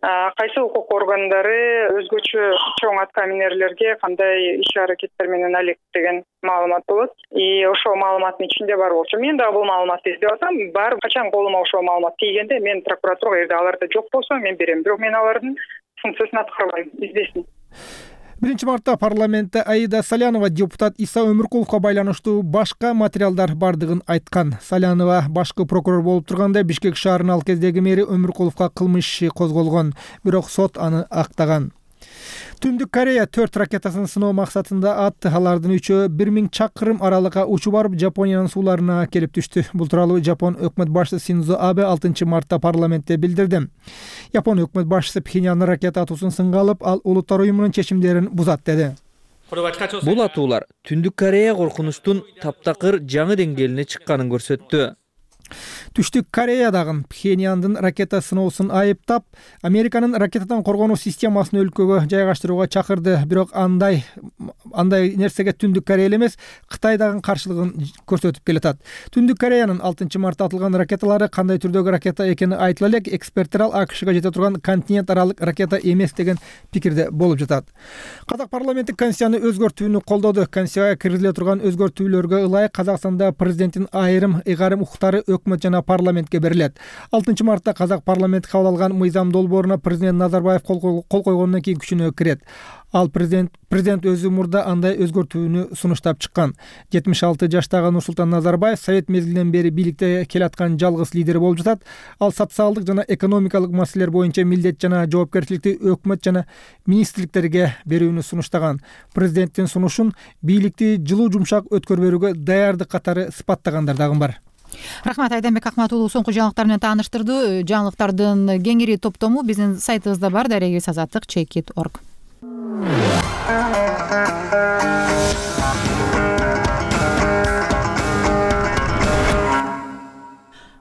кайсы укук органдары өзгөчө чоң аткаминерлерге кандай иш аракеттер менен алек деген маалымат болот. И ошол маалыматтын ичинде бар болчу. Мен дагы бул маалыматты издеп атам. Бар качан колума ошол маалымат тийгенде мен прокуратурага эгерде аларда жок болсо мен берем. Бирок мен алардын функциясын аткарбайм, издесин. 1-мартта парламентте Аида Салянова депутат Иса Өмүркуловго байланыштуу башка материалдар бардыгын айткан. Салянова башкы прокурор болуп турганда Бишкек шаарынын ал кездеги мэри Өмүркуловго кылмыш иши козголгон, бирок сот аны актаган. Түндүк Корея 4 ракетасын сыноо максатында атты. Алардын 3-өө 1000 чакырым аралыкка учуп барып Жапониянын сууларына келип түштү. Бул тууралуу Жапон өкмөт башчысы Синдзо Абе 6-мартта парламентте билдирди. Жапон өкмөт башчысы Пхеньяндын ракета атуусун сынга алып, ал Улуттар уюмунун чечимдерин бузат деди. Бул атуулар Түндүк Корея коркунучтун таптакыр жаңы деңгээлине чыкканын көрсөттү. Түштүк Кореядагы Пхеньяндын ракета сыноосун айыптап, Американын ракетадан коргонуу системасын өлкөгө жайгаштырууга чакырды. Бирок андай нерсеге Түндүк Корея эмес, Кытай дагы каршылыгын көрсөтүп келатат. Түндүк Кореянын 6-мартта атылган ракеталары кандай түрдөгү ракета экени айтыла элек, эксперттер ал АКШга жете турган континент аралык ракета эмес деген пикирде болуп жатат. Казак парламенти Конституцияны өзгөртүүнү колдоду. Конституцияга киргизиле турган өзгөртүүлөргө ылайык Казакстанда президенттин айрым укуктары өкмөт жана парламентке берилет. 6-мартта Казак парламенти кабыл алган мыйзам долбооруна президент Назарбаев кол койгондон кийин күчүнө кирет. Ал президент өзү мурда андай өзгөртүүнү сунуштап чыккан. 76 жаштагы Нурсултан Назарбаев совет мезгилинен бери бийликте келаткан жалгыз лидер болуп жатат. Ал социалдык жана экономикалык маселелер боюнча милдет жана жоопкерчиликти өкмөт жана министрликтерге берүүнү сунуштаган. Президенттин сунушун бийликти жылуу жумшак өткөрүп берүүгө даярдык катары сыпаттагандар дагы бар. Рахмат, Айданбек Акматулов соңку жаңылыктар менен тааныштырды. Жаңылыктардын кеңири топтому биздин сайтыбызда бар, daragizazatlik.org.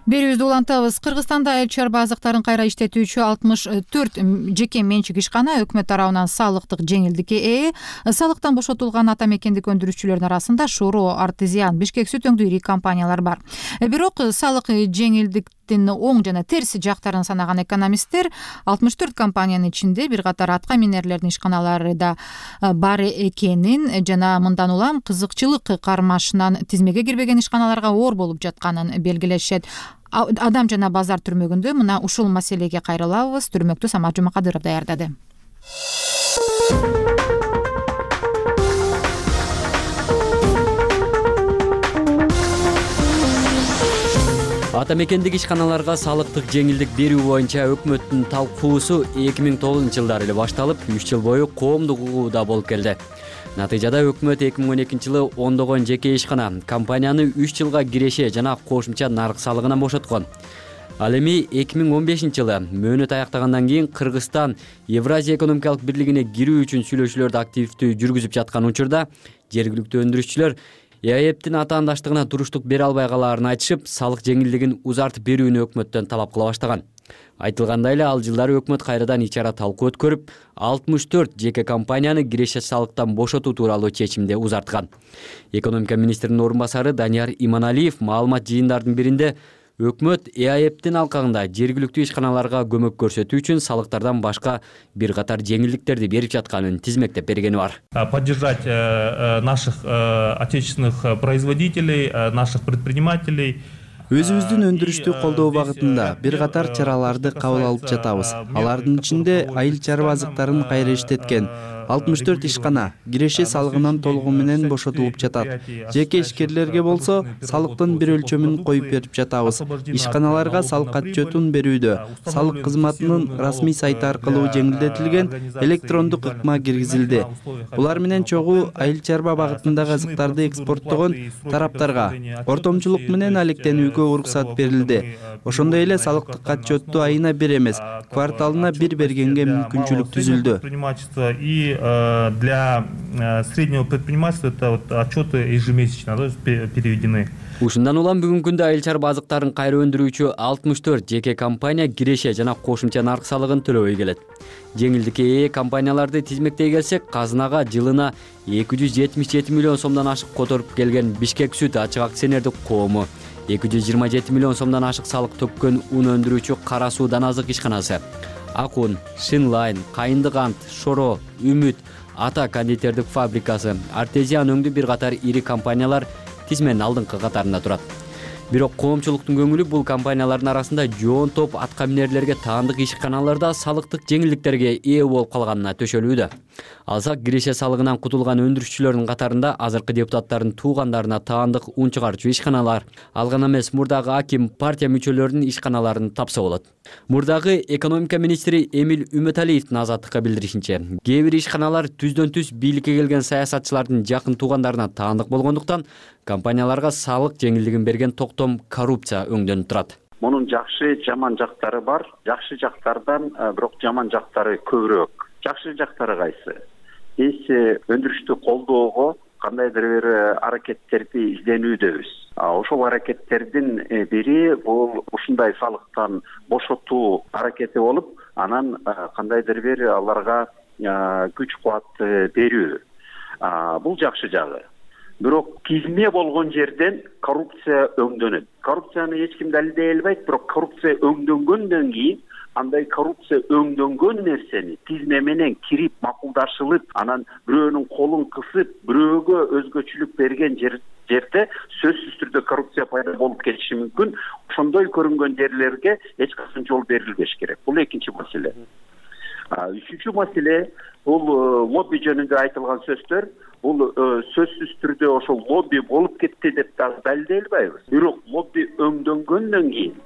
Берүүбүздү улантабыз. Кыргызстанда айыл чарба азыктарын кайра иштетүүчү 64 жеке менчик ишкана өкмөт тарабынан салыктык жеңилдикке ээ. Салыктан бошотулган ата мекендик өндүрүүчүлөрдүн арасында Шоро, Артезиан, Бишкек сүт өңдүү ири компаниялар бар. Бирок салык жеңилдиктин оң жана терс жактарын санаган экономисттер 64 компаниянын ичинде бир катар аткаминерлердин ишканалары да бар экенин жана мындан улам кызыкчылык кармашынан тизмеге кирбеген ишканаларга оор болуп жатканын белгилешет. Адам жана базар түрмөгүндө мына ушул маселеге кайрылабыз. Түрмөктү Самат Жумакадыров даярдады. Ата мекендик ишканаларга салыктык жеңилдик берүү боюнча өкмөттүн талкуусу 2009-жылдары эле башталып, 3 жыл бою коомдук угууда болуп келди. Натыйжада өкмөт 2012-жылы ондогон жеке ишкана компанияны 3 жылга киреше жана кошумча нарык салыгынан бошоткон. Ал эми 2015-жылы мөөнөт аяктагандан кийин Кыргызстан Евразия экономикалык бирлигине кирүү үчүн сүйлөшүүлөрдү активдүү жүргүзүп жаткан учурда жергиликтүү өндүрүүчүлөр ЭАЭПтин атаандаштыгына туруштук бере албай калаарын айтышып, салык жеңилдигин узартып берүүнү өкмөттөн талап кыла баштаган. Айтылгандай эле, ал жылдары өкмөт кайрадан ичара талкуу өткөрүп, 64 жеке компанияны киреше салыктан бошотуу тууралуу чечимди узарткан. Экономика министринин орун басары Данияр Иманалиев маалымат жыйындардын биринде өкмөт ЭАЭПтин алкагында жергиликтүү ишканаларга көмөк көрсөтүү үчүн салыктардан башка бир катар жеңилдиктерди берип жатканын тизмектеп бергени бар. Поддержать наших отечественных производителей, наших предпринимателей. Өзүбүздүн өндүрүштү колдоо багытында бир катар чараларды кабыл алып жатабыз. Алардын ичинде айыл чарба азыктарын кайра иштеткен 64 ишкана киреше салыгынан толугу менен бошотулуп жатат. Жеке ишкерлерге болсо салыктын бир өлчөмүн коюп берип жатабыз. Ишканаларга салык отчетун берүүдө салык кызматынын расмий сайты аркылуу жеңилдетилген электрондук ыкма киргизилди. Булар менен чогуу айыл чарба багытындагы азыктарды экспорттогон тараптарга ортомчулук менен алектенүүгө уруксат берилди. Ошондой эле салыктык отчетту айына бир эмес, кварталына бир бергенге мүмкүнчүлүк түзүлдү. И для среднего предпринимательства это отчеты ежемесячно переведены. Ушундан улам бүгүнкү күндө айыл чарба азыктарын кайра өндүрүүчү 64 жеке компания киреше жана кошумча нарык салыгын төлөбөй келет. Жеңилдикке ээ компанияларды тизмектей келсек, казынага жылына 277 миллион сомдон ашык которуп келген Бишкек сүт ачык акционердик коому, 227 миллион сомдон ашык салык төккөн ун өндүрүүчү Кара суу Даназык ишканасы, Акун, Шинлайн, Кайындык ант, Шоро, Үмүт, Ата кондитердик фабрикасы, Артезиан өңдүү бир катар ири компаниялар тизменин алдыңкы катарында турат. Бирок коомчулуктун көңүлү бул компаниялардын арасында жоон топ аткаминерлерге таандык ишканаларда салыктык жеңилдиктерге ээ болуп калганына төшөлүүдө. Алсак, киреше салыгынан кутулган өндүрүшчүлөрдүн катарында азыркы депутаттардын туугандарына таандык ун чыгарчу ишканалар, ал гана эмес мурдагы аким, партия мүчөлөрүнүн ишканаларын тапса болот. Мурдагы экономика министри Эмил Үмөталиевдин Азаттыкка билдиришинче, кээ бир ишканалар түздөн-түз бийликке келген саясатчылардын жакын туугандарына таандык болгондуктан компанияларга салык жеңилдигин берген токтом коррупция өңдөнүп турат. Мунун жакшы, жаман жактары бар. Жакшы жактардан бирок жаман жактары көбүрөөк. Жакшы жактары кайсы? Биз өндүрүштү колдоого кандайдыр бир аракеттерди изденүүдөбүз. Ошол аракеттердин бири бул ушундай салыктан бошотуу аракети болуп, анан кандайдыр бир аларга күч кубат берүү. Бул жакшы жагы. Бирок тизме болгон жерден коррупция өңдөнөт. Коррупцияны эч ким далилдей албайт, бирок коррупция өңдөнгөндөн кийин андай коррупция өңдөнгөн нерсени тизме менен кирип макулдашылып, анан бирөөнүн колун кысып, бирөөгө өзгөчөлүк берген жерде сөзсүз түрдө коррупция пайда болуп кетиши мүмкүн. Ошондой көрүнгөн жерлерге эч качан жол берилбеш керек. Бул экинчи маселе. Үчүнчү маселе бул лобби жөнүндө айтылган сөздөр. Бул сөзсүз түрдө ошол лобби болуп кетти деп далилдей албайбыз. Бирок лобби өңдөнгөндөн кийин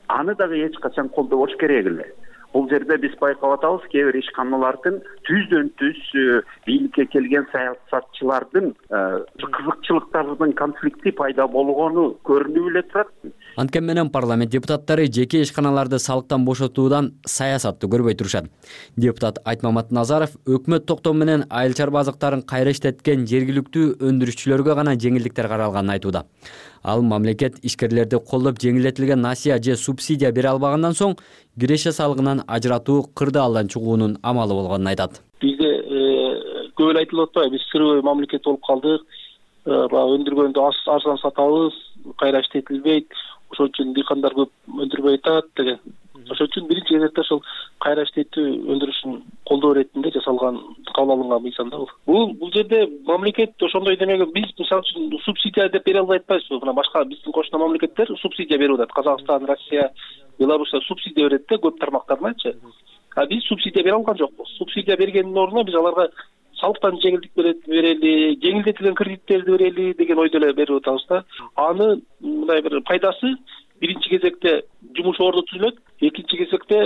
аны дагы эч качан колдобош керек эле. Бул жерде биз байкап атабыз, кээ бир ишканалардын түздөн-түз бийликке келген саясатчылардын кызыкчылыктарынын конфликти пайда болгону көрүнүп эле турат. Анткени менен парламент депутаттары жеке ишканаларды салыктан бошотуудан саясатты көрбөй турушат. Депутат Айтмамат Назаров өкмөт токтому менен айыл чарба азыктарын кайра иштеткен жергиликтүү өндүрүшчүлөргө гана жеңилдиктер каралганын айтууда. Ал мамлекет ишкерлерди колдоп жеңилдетилген насыя же субсидия бере албагандан соң киреше салыгынан ажыратуу кырдаалдан чыгуунун амалы болгонун айтат. Бизде көп эле айтылып атпайбы, биз сырбый мамлекет болуп калдык. Өндүргөндү арзан сатабыз, кайра иштетилбейт. Ошон үчүн дыйкандар көп өндүрбөй атат деген. Ошон үчүн биринчи кезекте ошол кайра иштетүү өндүрүшүн колдоо иретинде жасалган, кабыл алынган мыйзам да бул. Бул жерде мамлекет ошондой демеген, биз мисалы үчүн субсидия деп бере албай атпайбызбы? Мына башка биздин кошуна мамлекеттер субсидия берип атат. Казакстан, Россия, Белоруссия субсидия берет да көп тармактарыначы. Биз субсидия бере алган жокпуз. Субсидия бергендин ордуна биз аларга салыктан жеңилдик берели, жеңилдетилген кредиттерди берели деген ойдо эле берип атабыз да. Аны мындай бир пайдасы биринчи кезекте жумуш орду түзүлөт, экинчи кезекте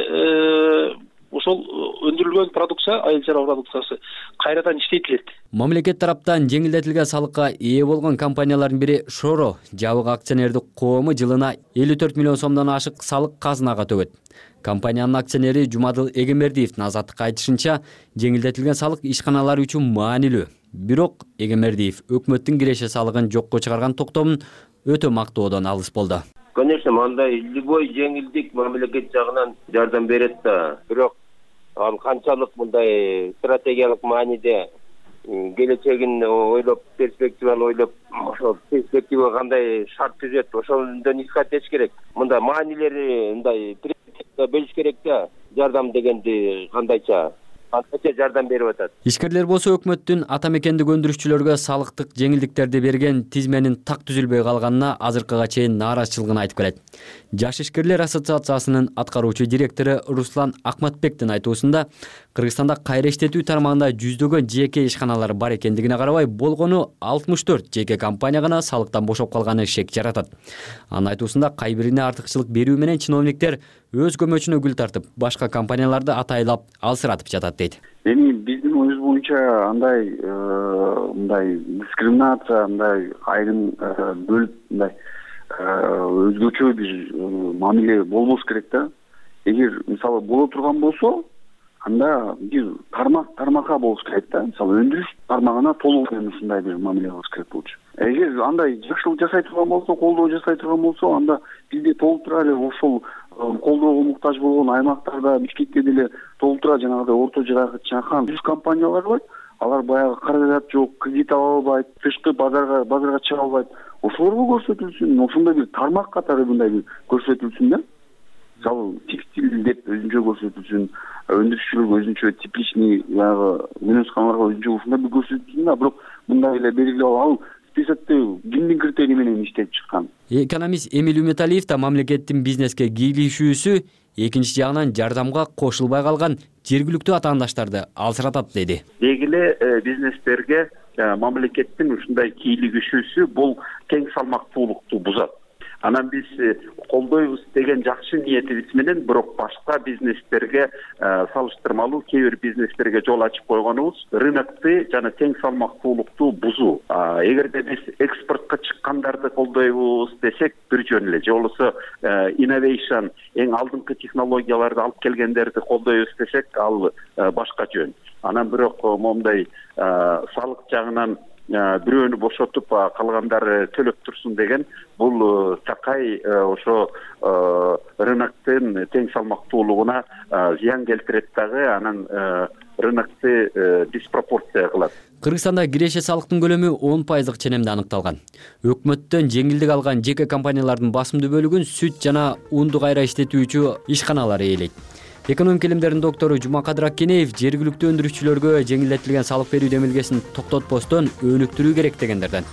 ошол өндүрүлгөн продукция, айыл чарба продукциясы кайрадан иштетилет. Мамлекет тараптан жеңилдетилген салыкка ээ болгон компаниялардын бири Шоро. Жабык акционердик коому жылына 54 миллион сомдон ашык салык казынага төгөт. Компаниянын акционери Жумадыл Эгембердиевдин Азаттыкка айтышынча, жеңилдетилген салык ишканалар үчүн маанилүү. Бирок Эгембердиев өкмөттүн киреше салыгын жокко чыгарган токтомун өтө мактоодон алыс болду. Конечно, мындай любой жеңилдик мамлекет жагынан жардам берет да. Бирок ал канчалык мындай стратегиялык мааниде келечегин ойлоп, перспективаны ойлоп, ошол перспектива кандай шарт түзөт, ошондон исхат керек. Мындай маанилери мындай бөлүш керек да. Жардам дегенди кандайча жардам берип атат. Ишкерлер болсо өкмөттүн ата мекендик өндүрүшчүлөргө салыктык жеңилдиктерди берген тизменин так түзүлбөй калганына азыркыга чейин нааразычылыгын айтып келет. Жаш ишкерлер ассоциациясынын аткаруучу директору Руслан Акматбектин айтуусунда, Кыргызстанда кайра иштетүү тармагында жүздөгөн жеке ишканалар бар экендигине карабай, болгону 64 жеке компания гана салыктан бошоп калганы шек жаратат. Анын айтуусунда кай бирине артыкчылык берүү менен чиновниктер өз көмөчүнө гүл тартып, башка компанияларды атайлап алсыратып жатат дейт. Эми биздин оюбуз боюнча андай мындай дискриминация, андай айрым бөлүп мындай өзгөчө бир мамиле болбош керек да. Эгер мисалы боло турган болсо, анда бир тармакка болуш керек да. Мисалы өндүрүш тармагына толук ушундай бир мамиле кылыш керек болчу. Эгер андай жакшылык жасай турган болсо, колдоо жасай турган болсо, анда бизде толтура эле ошол колдоого муктаж болгон аймактарда, Бишкекте деле толтура жанагыдай орто жаракы чакан жүз компаниялар бар. Алар баягы каражат жок, кредит ала албайт, тышкы базарга чыга албайт. Ошолорго көрсөтүлсүн, ошондой бир тармак катары мындай бир көрсөтүлсүн да. мисалы текстиль деп өзүнчө көрсөтүлсүн, өндүрүшчүлөргө өзүнчө тепличный баягы мөөнөтканаларга өзүнчө ушундай бир көрсөтүлсүн да, бирок мындай эле белгилеп ал списокто кимдин критерий менен иштеп чыккан. Экономист Эмиль Үмөталиев да мамлекеттин бизнеске кийлигишүүсү экинчи жагынан жардамга кошулбай калган жергиликтүү атаандаштарды алсыратат деди. Деги эле бизнестерге мамлекеттин ушундай кийлигишүүсү бул тең салмактуулукту бузат. Анан биз колдойбуз деген жакшы ниетибиз менен, бирок башка бизнестерге салыштырмалуу кээ бир бизнестерге жол ачып койгонубуз рынокты жана тең салмактуулукту бузуу. Эгерде биз экспортко чыккандарды колдойбуз десек бир жөн эле, же болбосо innovation эң алдыңкы технологияларды алып келгендерди колдойбуз десек ал башка жөн. Анан бирок момундай салык жагынан бирөөнү бошотуп калгандары төлөп турсун деген бул такай ошо рыноктун тең салмактуулугуна зыян келтирет дагы, анан рынокты диспропорция кылат. Кыргызстанда киреше салыктын көлөмү 10% ченемде аныкталган. Өкмөттөн жеңилдик алган жеке компаниялардын басымдуу бөлүгүн сүт жана унду кайра иштетүүчү ишканалар ээлейт. Экономика илимдеринин доктору Жумакадыр Аккенеев жергиликтүү өндүрүүчүлөргө жеңилдетилген салык берүү демилгесин токтотпостон өнүктүрүү керек дегендерден.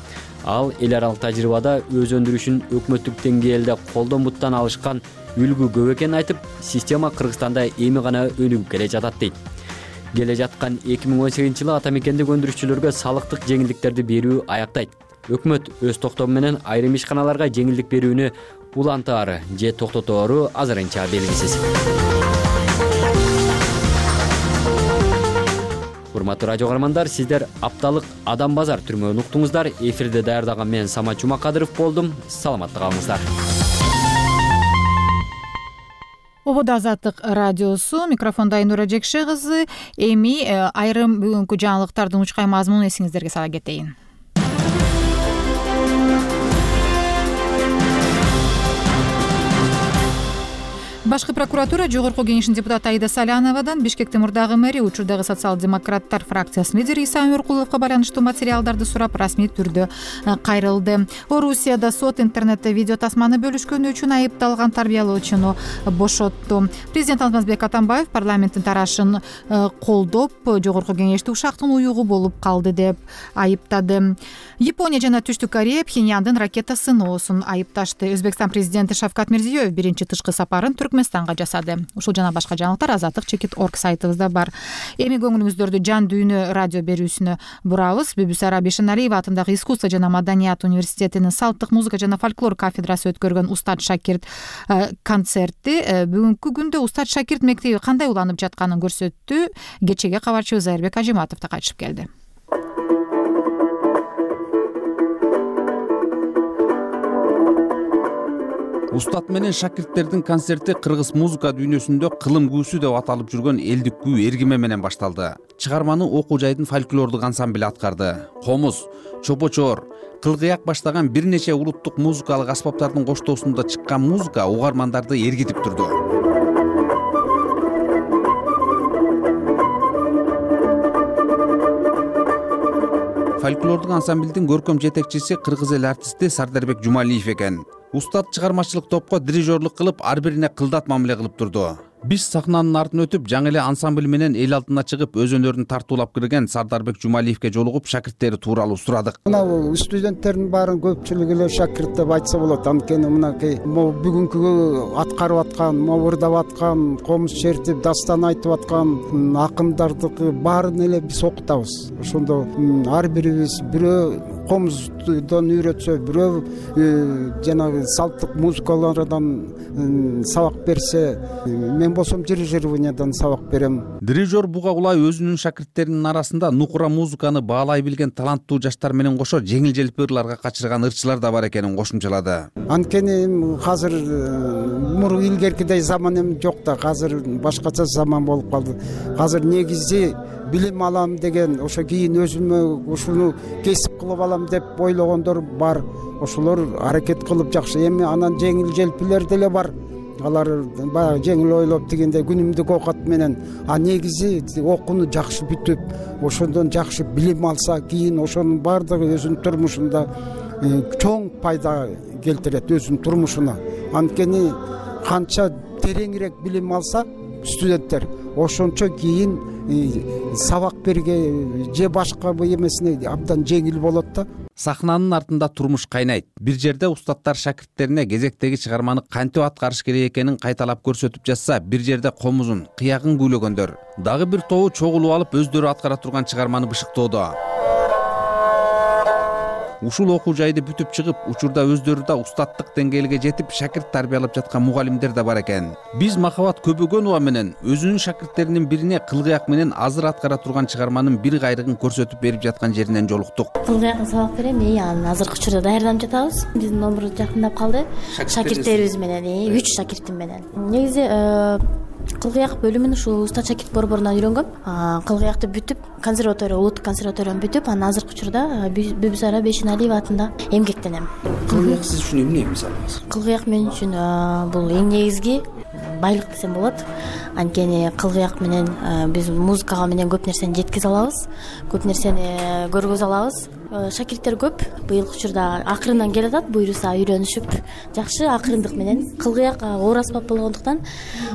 Ал эл аралык тажрыйбада өз өндүрүшүн өкмөттүк деңгээлде колдон буттан алышкан үлгү көп экенин айтып, система Кыргызстанда эми гана өнүгүп келе жатат дейт. Келе жаткан 2018-жылы ата мекендик өндүрүшчүлөргө салыктык жеңилдиктерди берүү аяктайт. Өкмөт өз токтому менен айрым ишканаларга жеңилдик берүүнү улантаары же токтотору азырынча белгисиз. Урматтуу радио каармандар, сиздер апталык Адам базар түрмөгүн уктуңуздар. Эфирде даярдаган мен Самат Жумакадыров болдум. Саламатта калыңыздар. Обода Азаттык радиосу, микрофонда Айнура Жекше кызы. Эми айрым бүгүнкү жаңылыктардын учкай мазмунун эсиңиздерге сала кетейин. Башкы прокуратура Жогорку кеңештин депутаты Аида Саляновадан Бишкектин мурдагы мэри, учурдагы социал-демократтар фракциясынын лидери Иса Өмүркуловго байланыштуу материалдарды сурап, расмий түрдө кайрылды. Орусияда сот интернетте видео тасманы бөлүшкөнү үчүн айыпталган тарбиялоочуну бошотту. Президент Алмазбек Атамбаев парламенттин тарашын колдоп, Жогорку кеңешти ушактын уюгу болуп калды деп айыптады. Япония жана Түштүк Корея Пхеньяндын ракета сыноосун айыпташты. Өзбекстан президенти Шавкат Мирзиёев биринчи тышкы сапарын Түркмөнстанга жасады. Ушул жана башка жаңылыктар azatlik.org сайтыбызда бар. Эми көңүлүңүздөрдү жан дүйнө радио берүүсүнө бурабыз. Бүбүсара Бишеналиева атындагы искусство жана маданият университетинин салттык музыка жана фольклор кафедрасы өткөргөн Устат Шакирт концерти бүгүнкү күндө Устат Шакирт мектеби кандай уланып жатканын көрсөттү. Кечеге кабарчыбыз Айырбек Ажиматов да кайтышып келди. Устат менен шакирттердин концерти кыргыз музыка дүйнөсүндө кылым күүсү деп аталып жүргөн элдик күү эргиме менен башталды. Чыгарманы окуу жайдын фольклордук ансамбли аткарды. Комуз, чопочоор, кылгыяк баштаган бир нече улуттук музыкалык аспаптардын коштоосунда чыккан музыка угармандарды эргитип турду. Фольклордук ансамблдин көркөм жетекчиси кыргыз эл артисти Сардарбек Жумалиев экен. Устат чыгармачылык топко дирижерлук кылып, ар бирине кылдат мамиле кылып турду. Биз сахнанын артын өтүп, жаңы эле ансамбль менен эл алдына чыгып, өз өнөрүн тартуулап кирген Сардарбек Жумалиевке жолугуп, шакирттери тууралуу сурадык. Мына студенттердин баарын көпчүлүгү эле шакирт деп айтса болот. Анткени мынакей бүгүнкү аткарып аткан, ырдап аткан, комуз чертип, дастан айтып аткан акындардыкы баарын эле биз окутабыз. Ошондо ар бирибиз бирөө комуздон үйрөтсө, бирөө жанагы салттык музыкалардан сабак берсе, мен болсом дирижированиядан сабак берем. Дирижер буга улай өзүнүн шакирттеринин арасында нукура музыканы баалай билген таланттуу жаштар менен кошо жеңил-желпи ырларга качырган ырчылар да бар экенин кошумчалады. Анткени азыр илгеркидей заман эми жок да, азыр башкача заман болуп калды. Азыр негизи билим алам деген, ошо кийин өзүмө ушуну кесип кылып алам деп ойлогондор бар. Ошолор аракет кылып жакшы. Эми анан жеңил-желпилер деле бар. Алар баягы жеңил ойлоп дегенде күнүмдүк оокат менен, негизи окууну жакшы бүтүп, ошондон жакшы билим алса, кийин ошонун баардыгы өзүнүн турмушунда чоң пайда келтирет өзүнүн турмушуна. Анткени канча тереңирээк билим алса студенттер ошончо кийин сабак берге же башка эмесине абдан жеңил болот да. Сахнанын артында турмуш кайнайт. Бир жерде устаттар шакирттерине кезектеги чыгарманы кантип аткарыш керек экенин кайталап көрсөтүп жатса, бир жерде комузун, кыягын күйлөгөндөр, дагы бир тобу чогулуп алып өздөрү аткара турган чыгарманы бышыктоодо. Ушул окуу жайды бүтүп чыгып, учурда өздөрү да устаттык деңгээлге жетип, шакирт тарбиялап жаткан мугалимдер да бар экен. Биз Махабат Көбөгөнова менен өзүнүн шакирттеринин бирине кылгыяк менен азыр аткара турган чыгарманын бир кайрыгын көрсөтүп берип жаткан жеринен жолуктук. Кылгыякка сабак берем, анан азыркы учурда даярданып жатабыз. Биздин номер жакындап калды. Шакирттерибиз менен, 3 шакиртим менен. Негизи кылгыяк бөлүмүн ушул Устат шакирт борборунан үйрөнгөм. Кылгыякты бүтүп, консерватория, улуттук консерваторияны бүтүп, анан азыркы учурда Бүбүсара Бейшеналиева атында эмгектенем. Кылгыяк сиз үчүн эмне мисалы? Кылгыяк мен үчүн бул эң негизги байлык десем болот. Анткени кылгыяк менен биз музыкага менен көп нерсени жеткизе алабыз, көп нерсени көргөзө алабыз. Шакирттер көп. Быйылкы учурда акырындан келатат, буюрса үйрөнүшүп, жакшы акырындык менен. Кылгыяк оор аспап болгондуктан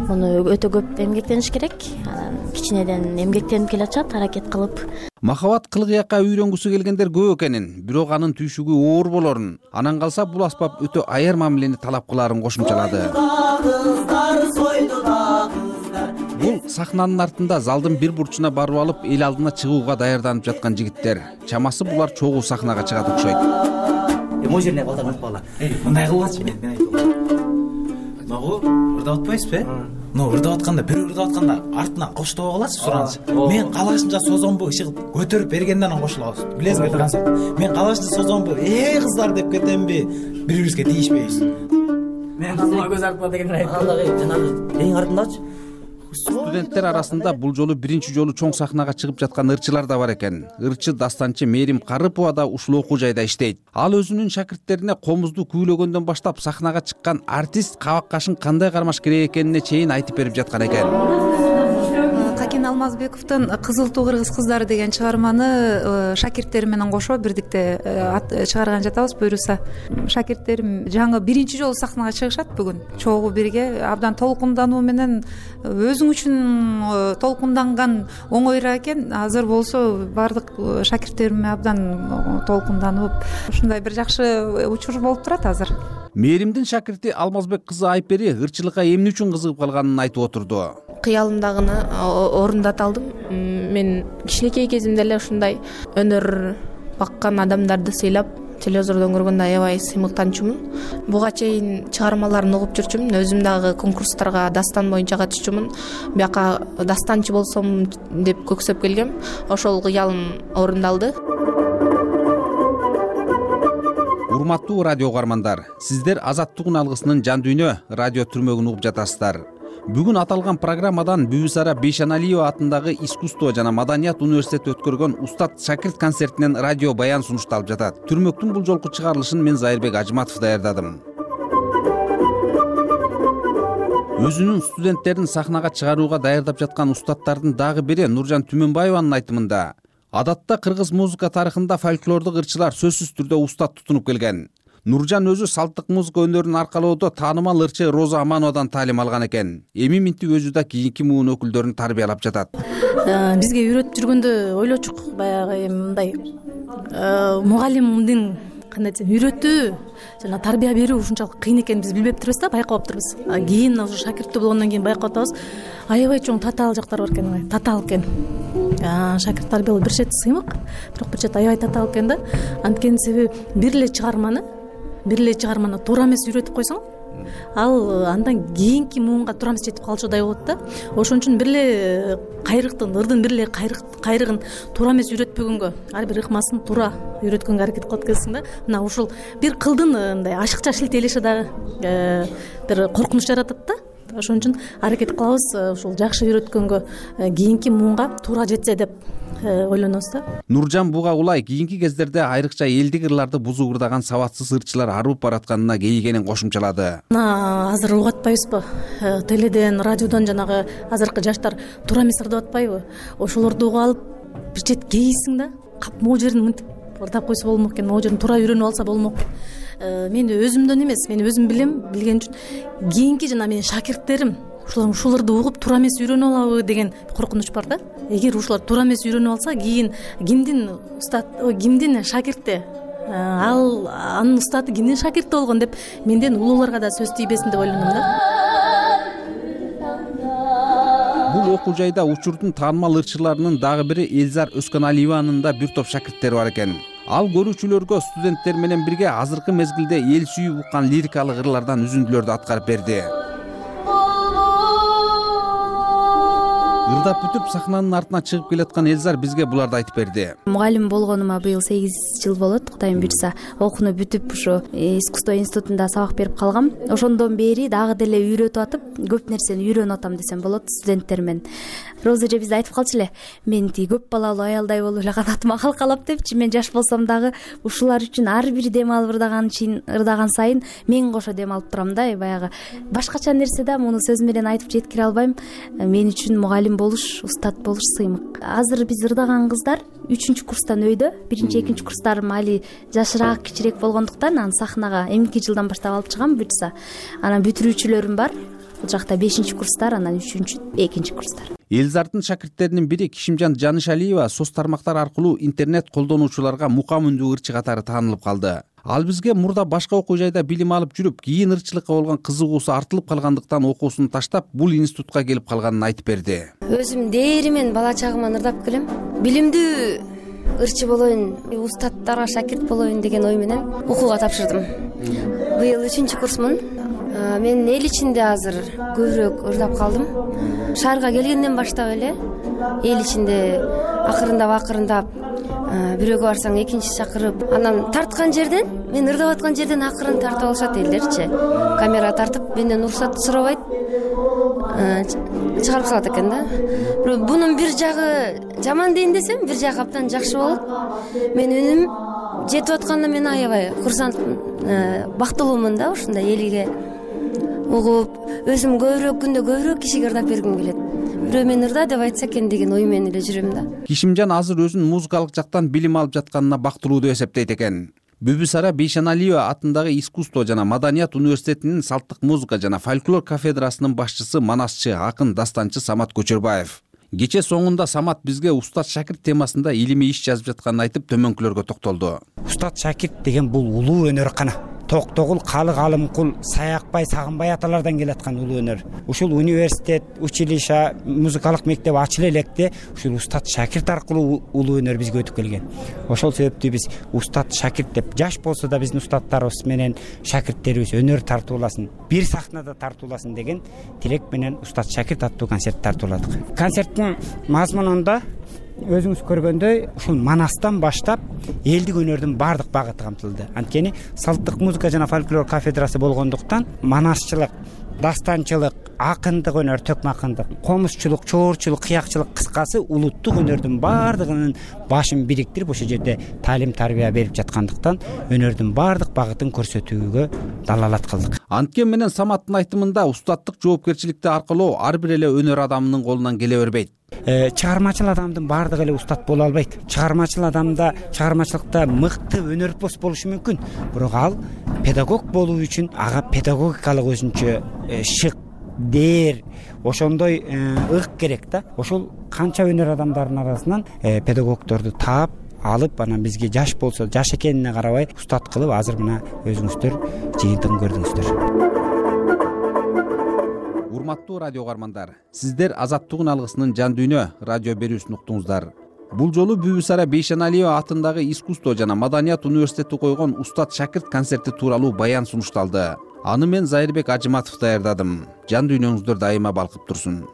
муну өтө көп эмгектениш керек. Кичинеден эмгектенип келатышат, аракет кылып. Махабат кылгыякка үйрөнгүсү келгендер көп экенин, бирок анын түйшүгү оор болорун, анан калса бул аспап өтө аяр мамилени талап кылаарын кошумчалады. Бул сахнанын артында залдын бир бурчуна барып алып, эл алдына чыгууга даярданып жаткан жигиттер. Чамасы булар чогуу сахнага чыгат окшойт. Могу жерине калтырып атпагыла. Мындай кылбачы, мен айтам. Могу ырдап атпайсызбы? Ырдап атканда, бирөө ырдап атканда артынан коштоп каласыз, суранчы. Мен калашынча созонбу иши көтөрүп бергенден анан кошулабыз. Билесизби концерт? Мен калашынча созонбу, кыздар деп кетемби? Бири-бирибизге тийишпейбиз. Мен кызыма көз артма деген айтам. Андагы жанагы эң артындачы. Студенттер арасында бул жолу биринчи жолу чоң сахнага чыгып жаткан ырчылар да бар экен. Ырчы дастанчы Мерим Карыпова да ушул окуу жайда иштейт. Ал өзүнүн шакирттерине комузду күйлөгөндөн баштап сахнага чыккан артист кабак кашын кандай кармаш керек экенине чейин айтып берип жаткан экен. Какин Алмазбековдун Кызыл туу кыргыз кыздары деген чыгарманы шакирттери менен кошо бирдикте чыгарган жатабыз. Буюрса шакирттерим жаңы биринчи жолу сахнага чыгышат бүгүн. Чогуу бирге абдан толкундануу менен өзүң үчүн толкунданган оңойраак экен. Азыр болсо баардык шакирттерим абдан толкунданып, ушундай бир жакшы учур болуп турат азыр. Меримдин шакирти Алмазбек кызы Айпери ырчылыкка эмне үчүн кызыгып калганын айтып отурду. Кыялымдагыны орундата алдым. Мен кичинекей кезимде эле ушундай өнөр баккан адамдарды сыйлап, телевизордон көргөндө аябай сыймыктанчумун. Буга чейин чыгармаларын угуп жүрчүмүн. Өзүм дагы конкурстарга дастан боюнча катышчумун. Бияка дастанчы болсом деп көксөп келгем. Ошол кыялым орундалды. Урматтуу радио угармандар, сиздер Азаттыгын алгысынын жан дүйнө радио түрмөгүн угуп жатасыздар. Бүгүн аталган программадан Бүбүсара Бейшеналиева атындагы искусство жана маданият университети өткөргөн Устат шакирт концертинен радио баян сунушталып жатат. Түрмөктүн бул жолку чыгарылышын мен Зайырбек Ажматов даярдадым. Өзүнүн студенттерин сахнага чыгарууга даярдап жаткан устаттардын дагы бири Нуржан Түмөнбаеванын айтымында, адатта кыргыз музыка тарыхында фольклордук ырчылар сөзсүз түрдө устат тутунуп келген. Нуржан өзү салттык музыка өнөрүн аркалоодо таанымал ырчы Роза Амановадан таалим алган экен. Эми минтип өзү да кийинки муун өкүлдөрүн тарбиялап жатат. Бизге үйрөтүп жүргөндө ойлочук, баягы мындай мугалимдин кандай десем, үйрөтүү жана тарбия берүү ушунчалык кыйын экенин биз билбептирбиз да, байкабаптырбыз. Кийин уже шакирттүү болгондон кийин байкап атабыз, аябай чоң татаал жактар бар экен, татаал экен. Шакирт тарбиялоо бир чети сыймык, бирок бир чети аябай татаал экен да. Анткени себеби бир эле чыгарманы туура эмес үйрөтүп койсоң, ал андан кийинки муунга туура эмес жетип калчудай болот да. Ошон үчүн бир эле кайрыктын, ырдын бир эле кайрыгын туура эмес үйрөтпөгөнгө, ар бир ыкмасын туура үйрөткөнгө аракет кылып келсиң да. Мына ушул бир кылдын мындай ашыкча шилтелеши дагы бир коркунуч жаратат да. Ошон үчүн аракет кылабыз ушул жакшы үйрөткөнгө, кийинки муунга туура жетсе деп ойлонобуз да. Нуржан буга улай кийинки кездерде айрыкча элдик ырларды бузуп ырдаган сабатсыз ырчылар арып баратканына кейигенин кошумчалады. Азыр угуп атпайбызбы? Теледен, радиодон жанагы азыркы жаштар туура эмес ырдап атпайбы? Ошолорду угуп алып бир чет кейисиң да, кап могу жерин мынтип ырдап койсо болмок экен, могу жерин туура үйрөнүп алса болмок. Мен өзүмдөн эмес, мен өзүм билем, билген үчүн кийинки жана менин шакирттерим ушуларды угуп туура эмес үйрөнүп алабы деген коркунуч бар да. Эгер ушулар туура эмес үйрөнүп алса, кийин кимдин шакирти, анын устаты кимдин шакирти болгон деп менден улууларга да сөз тийбесин деп ойлоном да. Бул окуу жайда учурдун таанымал ырчыларынын дагы бири Элзар Өскөналиеванын да бир топ шакирттери бар экен. Ал көрүүчүлөргө студенттер менен бирге азыркы мезгилде эл сүйүп уккан лирикалык ырлардан үзүндүлөрдү аткарып берди. Ырдап бүтүп сахнанын артына чыгып келаткан Элзар бизге буларды айтып берди. Мугалим болгонума быйыл 8 жыл болот. Кудайым буйрса, окууну бүтүп ушу искусство институтунда сабак берип калгам. Ошондон бери дагы деле үйрөтүп атып, көп нерсени үйрөнүп атам десем болот студенттер менен. Роза эже бизде айтып калчу эле, мен көп балалуу аялдай болуп эле канатыма калкалап депчи. Мен жаш болсом дагы ушулар үчүн ар бир дем алып ырдаган сайын мен кошо дем алып турам да. Баягы башкача нерсе да, муну сөз менен айтып жеткире албайм. Мен үчүн мугалим болуш, устат болуш сыймык. Азыр биз ырдаган кыздар 3-курстан өйдө. 1-2 курстарым али жашыраак, кичирээк болгондуктан аны сахнага эмки жылдан баштап алып чыгам буйрса. Анан бүтүрүүчүлөрүм бар. Бул жакта 5-курстар, анан 3-2 курстар. Элзардын шакирттеринин бири Кишимжан Жанышалиева соц тармактар аркылуу интернет колдонуучуларга мукам үндүү ырчы катары таанылып калды. Ал бизге мурда башка окуу жайда билим алып жүрүп, кийин ырчылыкка болгон кызыгуусу артылып калгандыктан окуусун таштап, бул институтка келип калганын айтып берди. Өзүм дээримен бала чагыман ырдап келем. Билимдүү ырчы болоюн, устаттарга шакирт болоюн деген ой менен окууга тапшырдым. Быйыл 3-курсмун. Мен эл ичинде азыр көбүрөөк ырдап калдым. Шаарга келгенден баштап эле эл ичинде акырындап бирөөгө барсаң экинчи чакырып, анан тарткан жерден, мен ырдап аткан жерден акырын тартып алышат элдерчи. Камера тартып, менден уруксат сурабайт, чыгарып салат экен да. Бирок бунун бир жагы жаман дейин десем, бир жагы абдан жакшы болот. Мен үнүм жетип атканына мен аябай курсантмын, бактылуумун да, ушундай элге угуп, өзүм күндө көбүрөөк кишиге ырдап бергим келет. Бирөө мен ырда деп айтса экен деген ой менен эле жүрөм да. Кишимжан азыр өзүн музыкалык жактан билим алып жатканына бактылуу деп эсептейт экен. Бүбүсара Бейшеналиева атындагы искусство жана маданият университетинин салттык музыка жана фольклор кафедрасынын башчысы, манасчы, акын, дастанчы Самат Көчөрбаев. Кече соңунда Самат бизге устат шакирт темасында илимий иш жазып жатканын айтып, төмөнкүлөргө токтолду. Устат шакирт деген бул улуу өнөр кана. Токтогул, Калык, Алымкул, Саякбай, Сагынбай аталардан келаткан улуу өнөр. Ушул университет, училище, музыкалык мектеп ачыла электе ушул устат шакирт аркылуу улуу өнөр бизге өтүп келген. Ошол себептүү биз устат шакирт деп, жаш болсо да биздин устаттарыбыз менен шакирттерибиз өнөр тартууласын, бир сахнада тартууласын деген тилек менен устат шакирт аттуу концерт тартууладык. Концерттин мазмунунда өзүңүз көргөндөй ушул манастан баштап элдик өнөрдүн баардык багыты камтылды. Анткени салттык музыка жана фольклор кафедрасы болгондуктан манасчылык, дастанчылык, акындык өнөр, төкмө акындык, комузчулук, чоорчулук, кыякчылык, кыскасы улуттук өнөрдүн баардыгынын башын бириктирип ошол жерде таалим тарбия берип жаткандыктан өнөрдүн баардык багытын көрсөтүүгө далалат кылдык. Анткен менен Саматтын айтымында устаттык жоопкерчиликти аркылоо ар бир эле өнөр адамынын колунан келе бербейт. Чыгармачыл адамдын баардыгы эле устат боло албайт. Чыгармачыл адамда, чыгармачылыкта мыкты өнөрпөс болушу мүмкүн, бирок ал педагог болуу үчүн ага педагогикалык өзүнчө шык, дээр, ошондой ык керек да. Ошол канча өнөр адамдарынын арасынан педагогдорду таап алып, анан бизге жаш болсо, жаш экенине карабай устат кылып, азыр мына өзүңүздөр жыйынтыгын көрдүңүздөр. Урматтуу радио угармандар, сиздер Азаттыгын алгысынын жан дүйнө радио берүүсүн уктуңуздар. Бул жолу Бүбүсара Бейшеналиева атындагы искусство жана маданият университети койгон устат шакирт концерти тууралуу баян сунушталды. Аны мен Зайырбек Ажыматов даярдадым. Жан дүйнөңүздөр дайыма балкып турсун.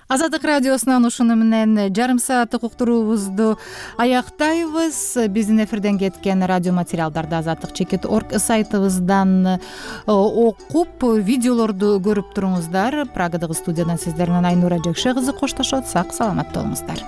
Азаттык радиосунан ушуну менен жарым сааттык уктуруубузду аяктайбыз. Биздин эфирден кеткен радио материалдарды azattik.org сайтыбыздан окуп, видеолорду көрүп туруңуздар. Прагадагы студиядан сиздер менен Айнура Жекше кызы коштошот. Сак саламатта болуңуздар.